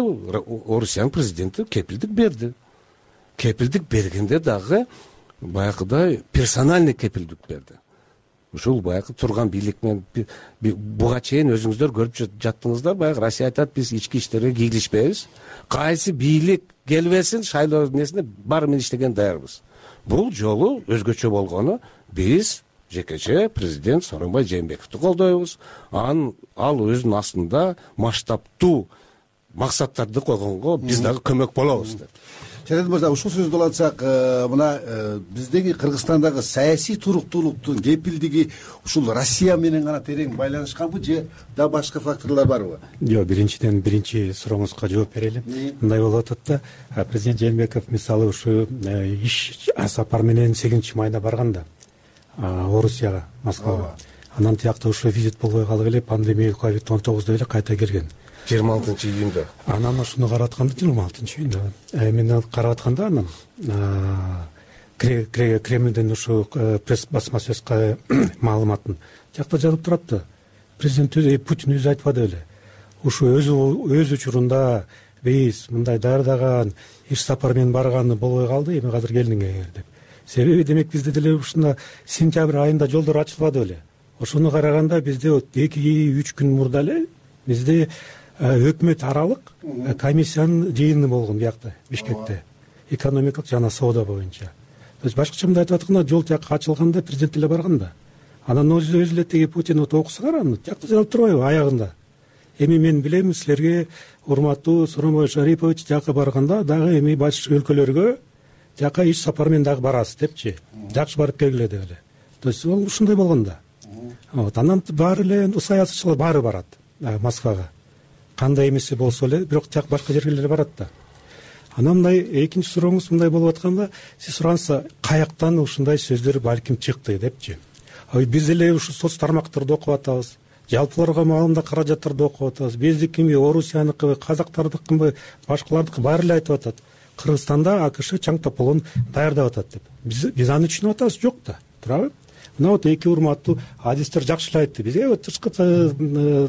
Орусиянын президенти кепилдик берди. Кепилдик бергенде дагы баягыдай персональный кепилдик берди. Ушул баягы турган бийлик менен буга чейин өзүңүздөр көрүп жаттыңыздар, баягы Россия айтат, биз ички иштерге кийлишпейбиз. Кайсы бийлик келбесин, шайлоо несине баары менен иштеген даярбыз. Бул жолу өзгөчө болгону биз жекече президент Сооронбай Жээнбековду колдойбуз. Ал өзүнүн астында масштабтуу максаттарды койгонго биз дагы көмөк болобуз деп. Шариат мырза, ушул сөздү улантсак, мына биздеги Кыргызстандагы саясий туруктуулуктун кепилдиги ушул Россия менен гана терең байланышканбы же да башка факторлор барбы? Жок, биринчи сурооңузга жооп берели. Мындай болуп атат да, президент Жээнбеков мисалы ушу иш сапар менен 8-майда барганда Орусияга, Москвага. Анан тиякта ушу визит болбой калып эле пандемия COVID-19 эле кайта келген. 26-июнда. Анан ошону карап атканда 26-июнда. Мен карап атканда анан Кремлден ушу пресс басма сөз маалыматын тиякта жазылып турат да. Президент Путин өзү айтпады эле. Ушу өз учурунда биз мындай даярдаган иш сапар менен барганы болбой калды, эми азыр келдиңер деп. Себеби демек бизде деле ушунда сентябрь айында жолдор ачылбады эле. Ошону караганда бизде 2-3 күн мурда эле бизде өкмөт аралык комиссиянын жыйыны болгон биякта, Бишкекте, экономикалык жана соода боюнча. Башкача мындай айтып атканда, жол тияка ачылганда президент эле барганда. Анан өзү эле теги Путин окусаңар, аны тиякта жазылып турбайбы аягында? Эми мен билем, силерге урматтуу Сооронбай Шарипович тияка барганда дагы эми башка өлкөлөргө тияка иш сапар менен дагы барасыз депчи. Жакшы барып келгиле деп эле. То есть ол ушундай болгон да. Анан баары эле саясатчылар баары барат Москвага. Кандай эмеси болсо эле, бирок тияк башка жерге эле барат да. Анан мындай экинчи сурооңуз мындай болуп атканда, сиз сураңызса, каяктан ушундай сөздөр балким чыкты депчи. Биз эле ушу соц тармактарды окуп атабыз. Жалпыларга маалымда каражаттарды окуп атабыз. Биздикими, Орусияныкыбы, казактардыкыбы, башкалардыкы баары эле айтып атат. Кыргызстанда АКШ чаң тополон даярдап атат деп. Биз аны түшүнүп атабыз, жок да. Туурабы? Мына вот эки урматтуу адистер жакшы эле айтты. Бизге тышкы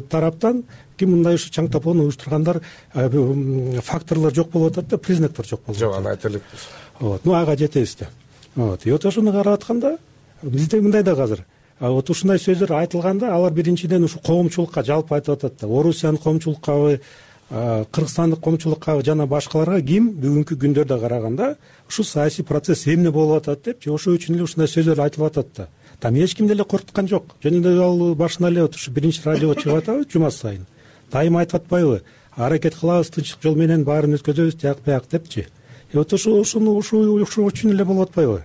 тараптан ким мындай ушу чаң тополон уюштургандар факторлор жок болуп атат да, признактар жок болуп атат. Жок, аны айта элекпиз. Ага жетебиз да. Вот ошону карап атканда бизде мындай да азыр. Вот ушундай сөздөр айтылганда, алар биринчиден ушу коомчулукка жалпы айтып атат да. Орусиянын коомчулуккабы, Кыргызстандык коомчулукка жана башкаларга ким бүгүнкү күндөрдө караганда ушу саясий процесс эмне болуп атат депчи, ошол үчүн эле ушундай сөздөр айтылып атат да. Там эч ким деле коркуткан жок. Жөн эле ал башында эле ушу биринчи радиого чыгып атабы жума сайын. Дайыма айтып атпайбы? Аракет кылабыз, тынчтык жол менен баарын өткөзөбүз, тияк бияк депчи. Вот ошол үчүн эле болуп атпайбы?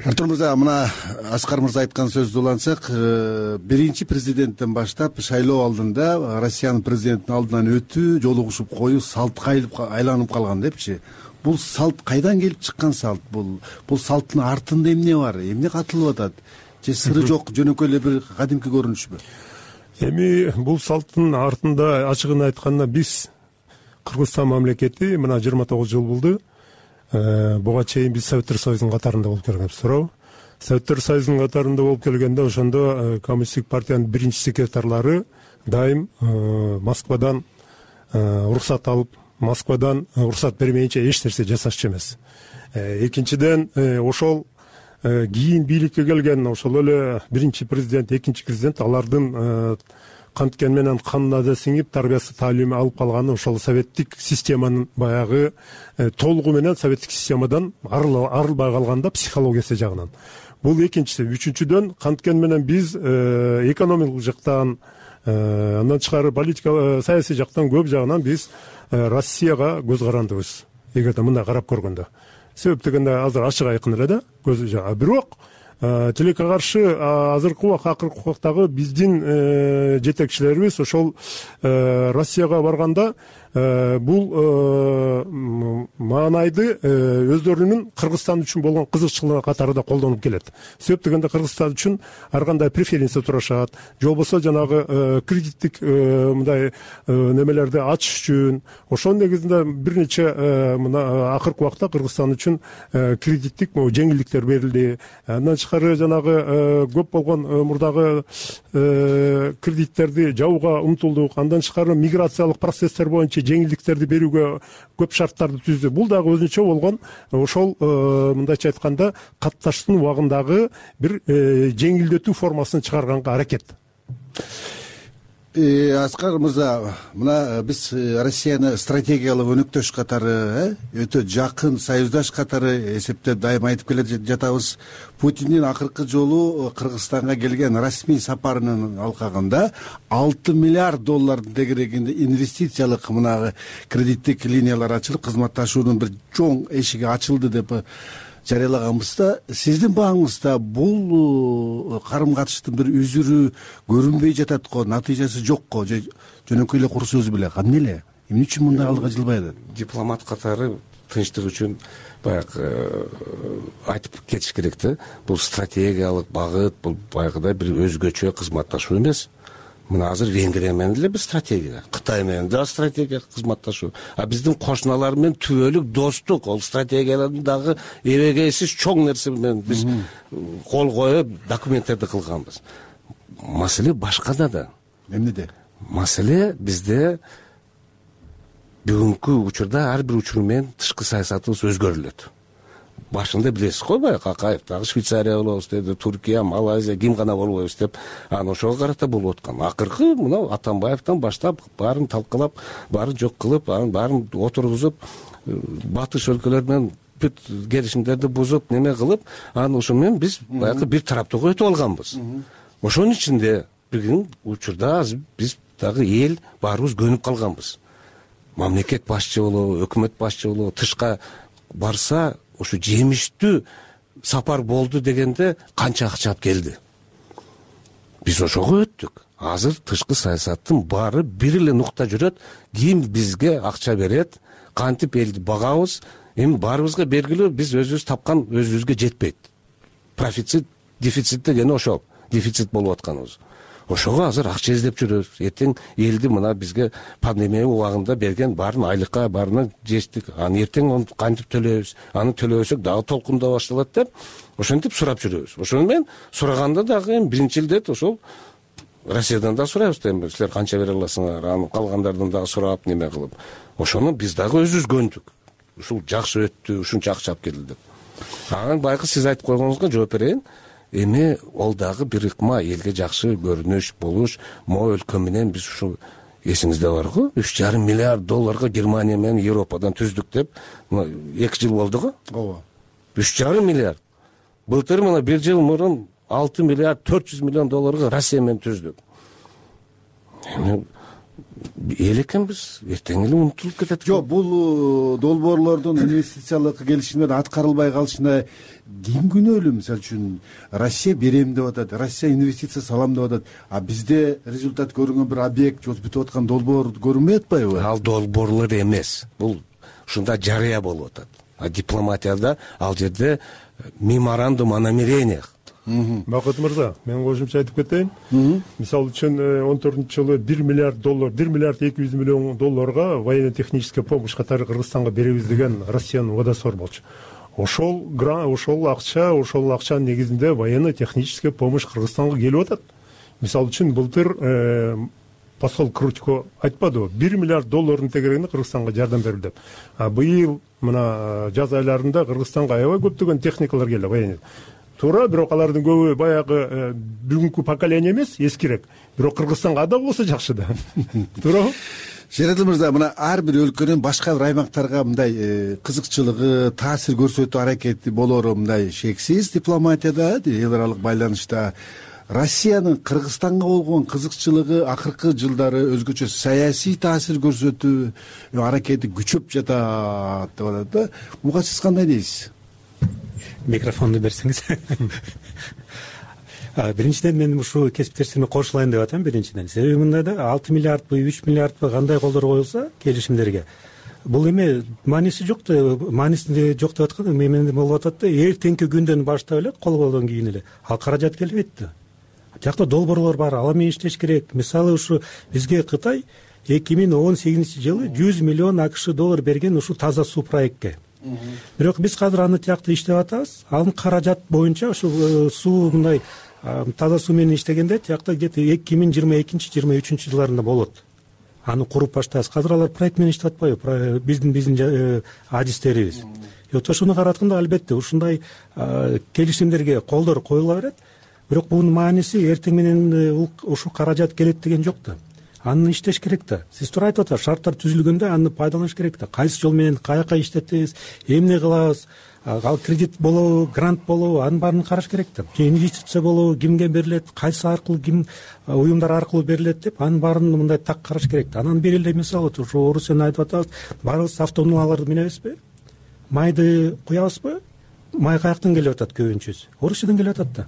Артур мырза, мына Аскар мырза айткан сөздү улантсак, биринчи президенттен баштап шайлоо алдында Россиянын президентинин алдынан өтүү, жолугушуп коюу салтка айланып калган депчи. Бул салт кайдан келип чыккан салт? Бул салттын артында эмне бар? Эмне катылып атат? Же сыры жок, жөнөкөй эле бир кадимки көрүнүшпү? Эми бул салттын артында ачыгын айтканда биз Кыргызстан мамлекети мына 29 жыл болду. Буга чейин биз Советтер Союзунун катарында болуп келгенбиз, туурабы? Советтер Союзунун катарында болуп келгенде ошондо коммунисттик партиянын биринчи секретарлары дайым Москвадан уруксат алып, Москвадан уруксат бермейинче эч нерсе жасашчу эмес. Экинчиден ошол кийин бийликке келген ошол эле биринчи президент, экинчи президент алардын канткен менен канына да сиңип тарбиясы таалими алып калганы ошол советтик системанын баягы толугу менен советтик системадан арылбай калганда психологиясы жагынан. Бул экинчиси. Үчүнчүдөн канткен менен биз экономикалык жактан, андан тышкары политика саясий жактан көп жагынан биз Россияга көз карандыбыз. Эгерде мындай карап көргөндө. Себеп дегенде азыр ачык айкын эле да көз жага. Бирок тилекке каршы азыркы акыркы убактагы биздин жетекчилерибиз ошол Россияга барганда бул маанайды өздөрүнүн Кыргызстан үчүн болгон кызыкчылыгы катары да колдонуп келет. Себеп дегенде Кыргызстан үчүн ар кандай преференция турашат, же болбосо жанагы кредиттик мындай немелерди ачыш үчүн ошонун негизинде бир нече мына акыркы убакта Кыргызстан үчүн кредиттик жеңилдиктер берилди. Андан тышкары жанагы көп болгон мурдагы кредиттерди жабууга умтулдук. Андан тышкары миграциялык процесстер боюнча жеңилдиктерди берүүгө көп шарттарды түздү. Бул дагы өзүнчө болгон ошол мындайча айтканда катташтын убагындагы бир жеңилдетүү формасын чыгарганга аракет. Аскар мырза, мына биз Россияны стратегиялык өнөктөш катары, өтө жакын союздаш катары эсептеп дайыма айтып келе жатабыз. Путиндин акыркы жолу Кыргызстанга келген расмий сапарынын алкагында 6 миллиард доллардын тегерегинде инвестициялык мына кредиттик линиялар ачылып, кызматташуунун бир чоң эшиги ачылды деп жарыялаганбызда, сиздин бааңызда бул карым катыштын бир үзүрү көрүнбөй жатат го, натыйжасы жок го, же жөнөкөй эле кур сөз беле, кандай эле? Эмне үчүн мындай алдыга жылбайды? Дипломат катары тынчтык үчүн баягы айтып кетиш керек да. Бул стратегиялык багыт, бул баягыдай бир өзгөчө кызматташуу эмес. Мына азыр Венгрия менен деле бир стратегия, Кытай менен да стратегия кызматташуу. А биздин кошуналар менен түбөлүк достук, ол стратегиялардын дагы эбегейсиз чоң нерсе менен биз кол коюп документтерди кылганбыз. Маселе башкада да. Эмнеде? Маселе бизде бүгүнкү учурда ар бир учур менен тышкы саясатыбыз өзгөрүлөт. Башында билесиз го, баягы Акаев дагы Швейцария болобуз деди, Туркия, Малайзия, ким гана болбойбуз деп, анан ошого карата болуп аткан. Акыркы мына Атамбаевден баштап баарын талкалап, баарын жок кылып, анан баарын отургузуп, батыш өлкөлөр менен бүт келишимдерди бузуп, неме кылып, анан ошо менен биз баягы бир тараптуу өтүп алганбыз. Ошонун ичинде бир учурда биз дагы эл баарыбыз көнүп калганбыз. Мамлекет башчы болобу, өкмөт башчы болобу, тышка барса ушу жемиштүү сапар болду дегенде канча акча алып келди. Биз ошого өттүк. Азыр тышкы саясаттын баары бир эле нукта жүрөт. Ким бизге акча берет, кантип элди багабыз, эми баарыбызга белгилүү, биз өзүбүз тапкан өзүбүзгө жетпейт. Профицит, дефицит дегени ошол. Дефицит болуп атканыбыз. Ошого азыр акча издеп жүрөбүз. Эртең элди мына бизге пандемия убагында берген баарын айлыкка, баарына жеттик. Аны эртең аны кантип төлөйбүз? Аны төлөбөсөк дагы толкундоо башталат деп, ошентип сурап жүрөбүз. Ошону менен сураганда дагы эми биринчи илдет ошол Россиядан да сурайбыз эми, силер канча бере аласыңар? Аны калгандардан дагы сурап, неме кылып. Ошону биз дагы өзүбүз көндүк. Ушул жакшы өттү, ушунча акча алып келди деп. Анан байкы сиз айтып койгонуңузга жооп берейин. Эми ол дагы бир ыкма, элге жакшы көрүнүш болуш, могу өлкө менен биз ушу эсиңизде бар го, 3,5 миллиард долларга Германия менен Европадан түздүк деп, 2 жыл болду го. Ооба. 3,5 миллиард. Былтыр мына 1 жыл мурун 6 миллиард 400 миллион долларга Россия менен түздүк. Эми эл экенбиз, эртең эле унутулуп кетет. Жок, бул долбоорлордун инвестициялык келишимдер аткарылбай калышына ким күнөөлүү? Мисалы үчүн Россия берем деп атат, Россия инвестиция салам деп атат, а бизде результат көрүнгөн бир объект же бүтүп аткан долбоор көрүнбөй атпайбы? Ал долбоорлор эмес, бул ушунда жарыя болуп атат. А дипломатияда ал жерде меморандум о намерениях. Бакыт мырза, мен кошумча айтып кетейин. Мисалы үчүн 14-жылы 1 миллиард доллар, 1 миллиард 200 миллион долларга военно-техническая помощь катары Кыргызстанга беребиз деген Россиянын убадасы бар болчу. Ошол акчанын негизинде военно-техническая помощь Кыргызстанга келип атат. Мисалы үчүн былтыр посол Крутько айтпадыбы, 1 миллиард доллардын тегерегинде Кыргызстанга жардам берилди деп. А быйыл мына жаз айларында Кыргызстанга аябай көптөгөн техникалар келди, военный. туура, бирок алардын көбү баягы бүгүнкү поколение эмес, эскирээк. Бирок Кыргызстанга ада болсо жакшы да. Туурабы? Шератил мырза, мына ар бир өлкөнүн башка бир аймактарга мындай кызыкчылыгы, таасир көрсөтүү аракети болоору мындай шексиз дипломатияда, эл аралык байланышта. Россиянын Кыргызстанга болгон кызыкчылыгы акыркы жылдары өзгөчө саясий таасир көрсөтүү аракети күчөп жатат деп атат да. Буга сиз кандай дейсиз? Микрофонду берсеңиз. Биринчиден мен ушул кесиптештериме кошулайын деп атам. Биринчиден себеби мындай да, 6 миллиардбы 3 миллиардбы кандай колдор коюлса келишимдерге, бул эме мааниси жок да, маанисинде жок деп аткан эмне болуп атат да, эртеңки күндөн баштап эле кол колдон кийин эле ал каражат келбейт да. Жакта долбоорлор бар, ала менен иштеш керек. Мисалы ушу бизге Кытай 2018-жылы 100 миллион АКШ доллар берген ушу таза суу проектке. Бирок биз азыр аны тиякта иштеп атабыз. Анын каражат боюнча ушу суу мындай таза суу менен иштегенде тиякта где-то 2022-23 жылдарында болот. Аны куруп баштайбыз. Азыр алар проект менен иштеп атпайбы? Биздин адистерибиз. Ошону каратканда албетте ушундай келишимдерге колдор коюла берет. Бирок бунун мааниси эртең менен ушу каражат келет деген жок да. Аны иштеш керек да. Сиз туура айтып атасыз, шарттар түзүлгөндө аны пайдаланыш керек да. Кайсы жол менен каяка иштетебиз, эмне кылабыз, ал кредит болобу, грант болобу, анын баарын караш керек да. Же инвестиция болобу, кимге берилет, кайсы аркылуу, ким уюмдар аркылуу берилет деп, анын баарын мындай так караш керек да. Анан бир эле мисал ушу Орусияны айтып атабыз, баарыбыз автоунааларды минебизби? Майды куябызбы? Май каяктан келип атат көбүнчөсү? Орусиядан келип атат да.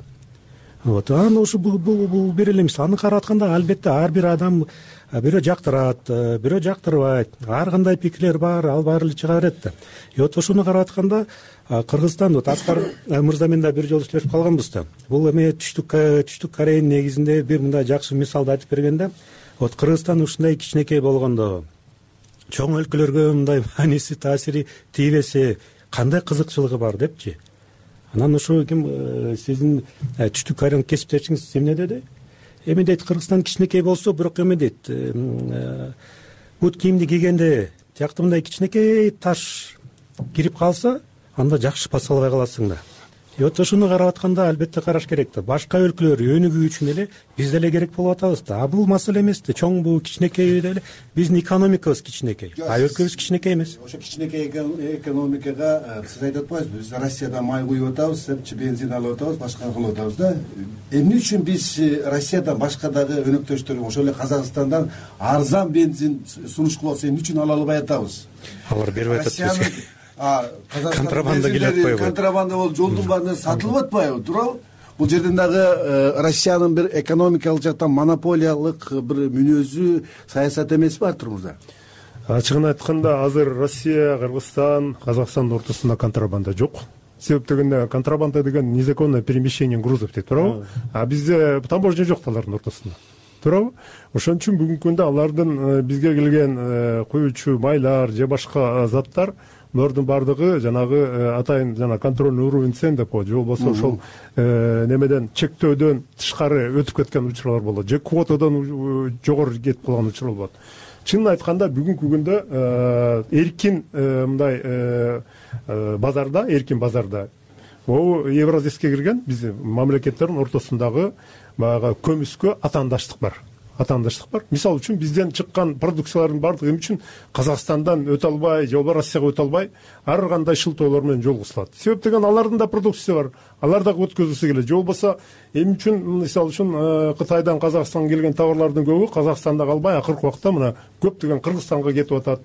Анан ушу бул бир эле мисал. Аны каратканда албетте ар бир адам бирөө жактырат, бирөө жактырбайт. Ар кандай пикирлер бар, ал баары эле чыга берет да. Ошону каратканда Кыргызстан, Аскар мырза менен да бир жолу сүйлөшүп калганбыз да. Бул эме түштүк Кореянын негизинде бир мындай жакшы мисалды айтып бергенде, Кыргызстан ушундай кичинекей болгондо, чоң өлкөлөргө мындай мааниси, таасири тийбесе кандай кызыкчылыгы бар депчи. Анан ушу ким сиздин түштүк Кореянын кесиптешиңиз эмне деди? Эме дейт, Кыргызстан кичинекей болсо, бирок эме дейт, бут кийимди кийгенде тиякта мындай кичинекей таш кирип калса, анда жакшы баса албай каласың да. Ошону карап атканда албетте караш керек да. Башка өлкөлөр өнүгүү үчүн эле биз деле керек болуп атабыз да. Бул маселе эмес да. Чоңбу, кичинекейби деле биздин экономикабыз кичинекей. Өлкөбүз кичинекей эмес. Ошо кичинекей экономикага сиз айтып атпайсызбы? Биз Россиядан май куюп атабыз, бензин алып атабыз, башка кылып атабыз да. Эмне үчүн биз Россиядан башка дагы өнөктөштөр, ошол эле Казакстандан арзан бензин сунуш кылып атса, эмне үчүн ала албай атабыз? Алар бербей атат бизге. Контрабанда келип атпайбы? Контрабанда болуп жолдун баарында сатылып атпайбы, туурабы? Бул жерден дагы Россиянын бир экономикалык жактан монополиялык бир мүнөзү, саясат эмеспи Артур мырза? Ачыгын айтканда, азыр Россия, Кыргызстан, Казакстандын ортосунда контрабанда жок. Себеп дегенде, контрабанда деген незаконное перемещение грузов дейт, туурабы? А бизде таможня жок алардын ортосунда. Туурабы? Ошон үчүн бүгүнкү күндө алардын бизге келген куючу майлар же башка заттар, булардын баардыгы жанагы атайын жана контрольный уровень цен деп коет, же болбосо ошол немеден чектөөдөн тышкары өтүп кеткен учурлар болот, же квотадан жогору кетип калган учурлар болот. Чынын айтканда бүгүнкү күндө эркин мындай базарда, эркин базарда могу Евразиске кирген биздин мамлекеттердин ортосундагы баягы көмүскө атаандаштык бар. Мисалы үчүн бизден чыккан продукциялардын баардыгы эмне үчүн Казакстандан өтө албай, же болбосо Россияга өтө албай, ар кандай шылтоолор менен жолгусулат. Себеп деген алардын да продукция бар, алар дагы өткөзүлсө келет. Же болбосо эмне үчүн мисалы үчүн Кытайдан Казакстанга келген товарлардын көбү Казакстанда калбай, акыркы убакта мына көптөгөн Кыргызстанга кетип атат.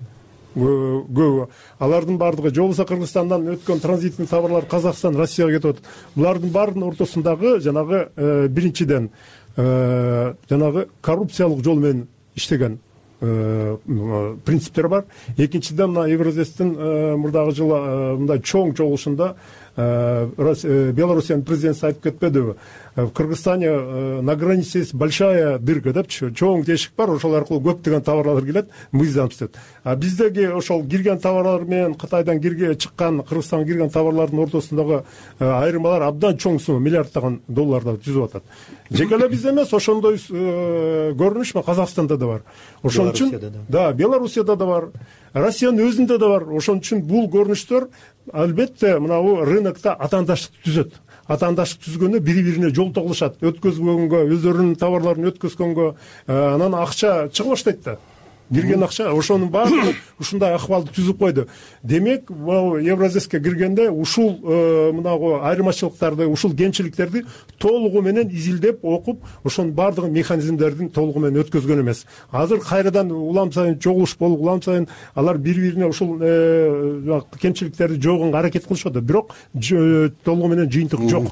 Көбү алардын баардыгы же болбосо Кыргызстандан өткөн транзитный товарлар Казакстан, Россияга кетип атат. Булардын баарынын ортосундагы жанагы биринчиден жанагы коррупциялык жол менен иштеген принциптер бар. Экинчиден мына Евразестин мурдагы жылы мындай чоң чогулушунда Белоруссиянын президенти айтып кетпедиби? В Кыргызстане на границе есть большая дырка депчи, чоң тешик бар, ошол аркылуу көптөгөн товарлар келет, мы издамыз деп. А биздеги ошол кирген товарлар менен Кытайдан чыккан, Кыргызстанга кирген товарлардын ортосундагы айырмалар абдан чоң сумма, миллиарддаган долларда түзүп атат. Жеке эле бизде эмес, ошондой көрүнүш Казакстанда да бар. Ошон үчүн да, Белоруссияда да бар, Россиянын өзүндө да бар. Ошон үчүн бул көрүнүштөр албетте мынабу рынокто атаандаштык түзөт. атаандашык түзгөндө бири бирине жолтоо кылышат, өткөзгөнгө, өздөрүнүн товарларын өткөзгөнгө, анан акча чыга баштайт да. Кирген акча ошонун баардыгы ушундай акыбалды түзүп койду. Демек, Евразеске киргенде ушул мынагу айырмачылыктарды, ушул кемчиликтерди толугу менен изилдеп окуп, ошонун баардыгы механизмдердин толугу менен өткөзгөн эмес. Азыр кайрадан улам сайын чогулуш болуп, улам сайын алар бири-бирине ушул кемчиликтерди жоогонго аракет кылышат, бирок толугу менен жыйынтык жок.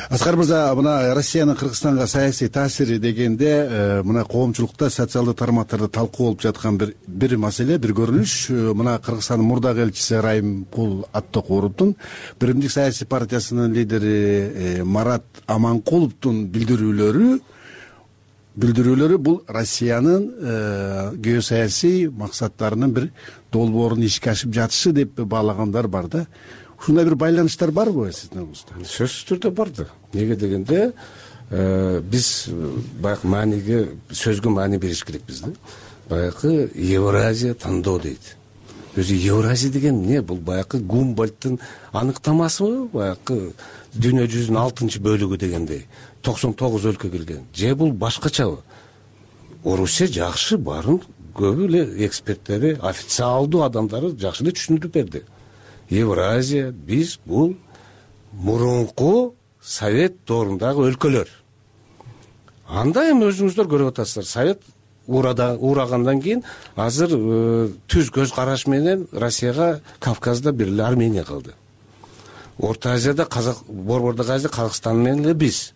Аскар мырза, мына Россиянын Кыргызстанга саясий таасири дегенде, мына коомчулукта социалдык тармактарда талкуу болуп жаткан бир маселе, бир көрүнүш, мына Кыргызстандын мурдагы элчиси Райымкул Аттокуровдун, Биримдик саясий партиясынын лидери Марат Аманкуловдун билдирүүлөрү бул Россиянын геосаясий максаттарынын бир долбоорун ишке ашып жатышы деп баалагандар бар да. Ушундай бир байланыштар барбы сиздин оңузда? Сөзсүз түрдө бар да. Неге дегенде биз баягы мааниге, сөзгө маани бериш керекпиз да. Баягы Евразия тандоо дейт. Өзү Евразия деген эмне? Бул баягы Гумбольдтун аныктамасыбы? Баягы дүйнө жүзүнүн 6-бөлүгү дегендей 99 өлкө келген. Же бул башкачабы? Орусия жакшы барын көбү эле эксперттери, официалдуу адамдары жакшы эле түшүндүрүп берди. Евразия биз бул мурунку Совет доорундагы өлкөлөр. Анда эми өзүңүздөр көрүп атасыздар. Совет урагандан кийин азыр түз көз караш менен Россияга Кавказда бир эле Армения калды. Орто Азияда Борбордук Азия Казакстан менен эле биз.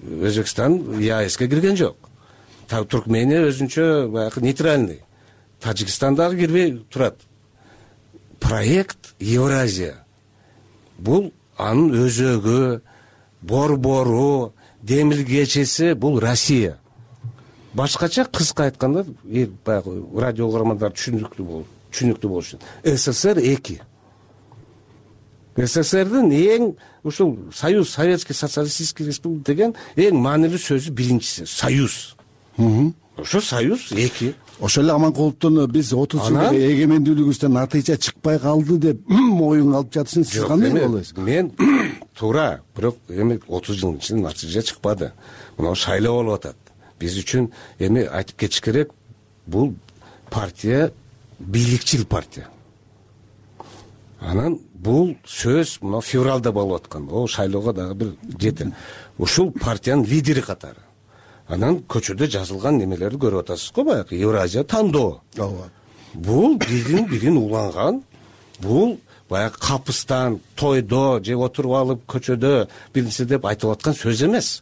Өзбекстан ЕАЭСке кирген жок. Туркмения өзүнчө баягы нейтральный. Тажикстан дагы кирбей турат. Проект Евразия. Бул анын өзөгү, борбору, демилгечеси бул Россия. Башкача кыска айтканда, баягы радио угармандар түшүнүктүү болуш үчүн СССР 2. СССРдин эң ушул Союз, Советский социалистический республика деген эң маанилүү сөзү биринчиси Союз. Ошо Союз 2. Ошол эле Аманкуловдун биз 30 жылдык эгемендүүлүгүбүздөн натыйжа чыкпай калды деп моюнга алып жатышын сиз кандай болосуз? Мен туура, бирок эми 30 жылдын ичинде натыйжа чыкпады. Мына шайлоо болуп атат. Биз үчүн эми айтып кетиш керек, бул партия бийликчил партия. Анан бул сөз мына февралда болуп аткан. О шайлоого дагы бир жети. Ушул партиянын лидери катары. Анан көчөдө жазылган немелерди көрүп атасыз го, баягы Евразия тандоо. Бул бирин уланган, бул баягы капыстан, тойдо же отуруп алып көчөдө биринчи деп айтып аткан сөз эмес.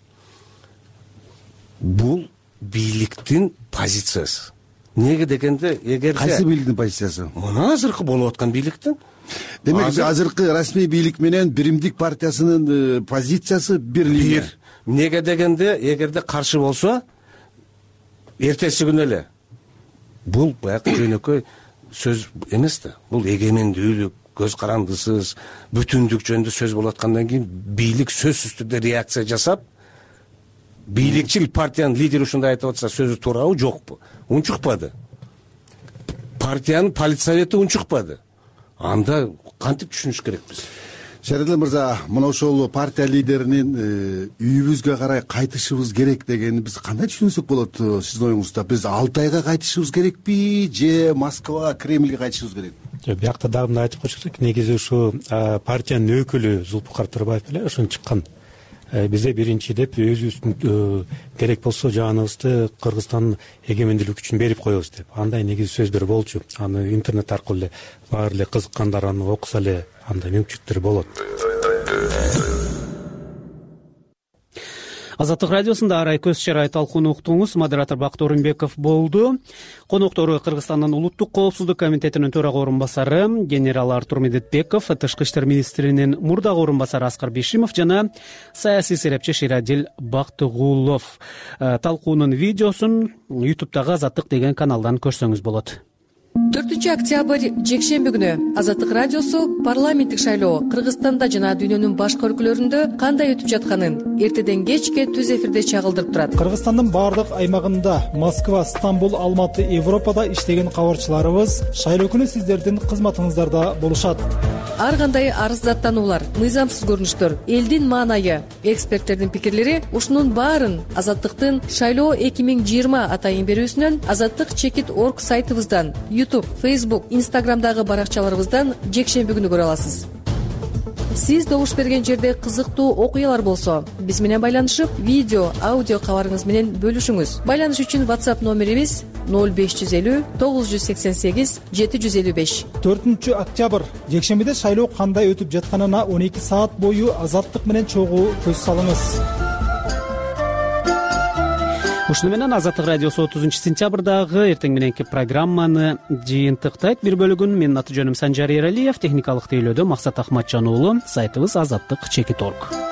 Бул бийликтин позициясы. Неге дегенде, эгерде кайсы бийликтин позициясы? Мына азыркы болуп аткан бийликтин. Демек, азыркы расмий бийлик менен Биримдик партиясынын позициясы бир линия. Неге дегенде, эгерде каршы болсо, эртеси күнү эле бул баягы жөнөкөй сөз эмес да. Бул эгемендүүлүк, көз карандысыз, бүтүндүк жөнүндө сөз болуп аткандан кийин бийлик сөзсүз түрдө реакция жасап, бийликчил партиянын лидери ушундай айтып атса, сөзү туурабы, жокпу? Унчукпады. Партиянын политсовети унчукпады. Анда кантип түшүнүш керекпиз? Шередил мырза, мына ошол партия лидеринин үйүбүзгө карай кайтышыбыз керек дегенин биз кандай түшүнсөк болот сиздин оюңузда? Биз Алтайга кайтышыбыз керекпи же Москва, Кремльге кайтышыбыз керекпи? Биякта дагы мындай айтып коюш керек. Негизи ушу партиянын өкүлү Зулпукар Турбаев эле ошону чыккан. Бизде биринчи деп өзүбүздүн керек болсо жаныбызды Кыргызстандын эгемендүүлүгү үчүн берип коебуз деп. Андай негизи сөздөр болчу. Аны интернет аркылуу эле баары эле кызыккандар аны окуса эле андай мүмкүнчүлүктөр болот. Азаттык радиосунда арай көз чарай талкууну уктуңуз. Модератор Бакыт Орунбеков болду. Коноктору Кыргызстандын улуттук коопсуздук комитетинин төрага орун басары генерал Артур Медетбеков, Тышкы иштер министринин мурдагы орун басары Аскар Бишимов жана саясий серепчи Ширадил Бактыгулов. Талкуунун видеосун YouTube'дагы Азаттык деген каналдан көрсөңүз болот. 4 октябрь жекшемби күнү Азаттык радиосу парламенттик шайлоо Кыргызстанда жана дүйнөнүн башка өлкөлөрүндө кандай өтүп жатканын эртеден кечке түз эфирде чагылдырып турат. Кыргызстандын баардык аймагында Москва, Стамбул, Алматы, Европада иштеген кабарчыларыбыз шайлоо күнү сиздердин кызматыңыздарда болушат. Ар кандай арыздаттануулар, мыйзамсыз көрүнүштөр, элдин маанайы, эксперттердин пикирлери ушунун баарын Азаттыктын шайлоо 2020 атайын берүүсүнөн, azattik.org сайтыбыздан, YouTube, Facebook, Instagramдагы баракчаларыбыздан жекшемби күнү көрө аласыз. Сиз добуш берген жерде кызыктуу окуялар болсо, биз менен байланышып, видео, аудио кабарыңыз менен бөлүшүңүз. Байланыш үчүн WhatsApp номерибиз 0550 988 755. 4 октябрь жекшембиде шайлоо кандай өтүп жатканына 12 саат бою Азаттык менен чогуу көз салыңыз. Ушуну менен Азаттык радиосу 30 сентябрдагы эртең мененки программаны жыйынтыктайт. Бир бөлүгүн менин аты жөнүм Санжар Эралиев, техникалык тейлөөдө Максат Ахматжан уулу, сайтыбыз azattik.org.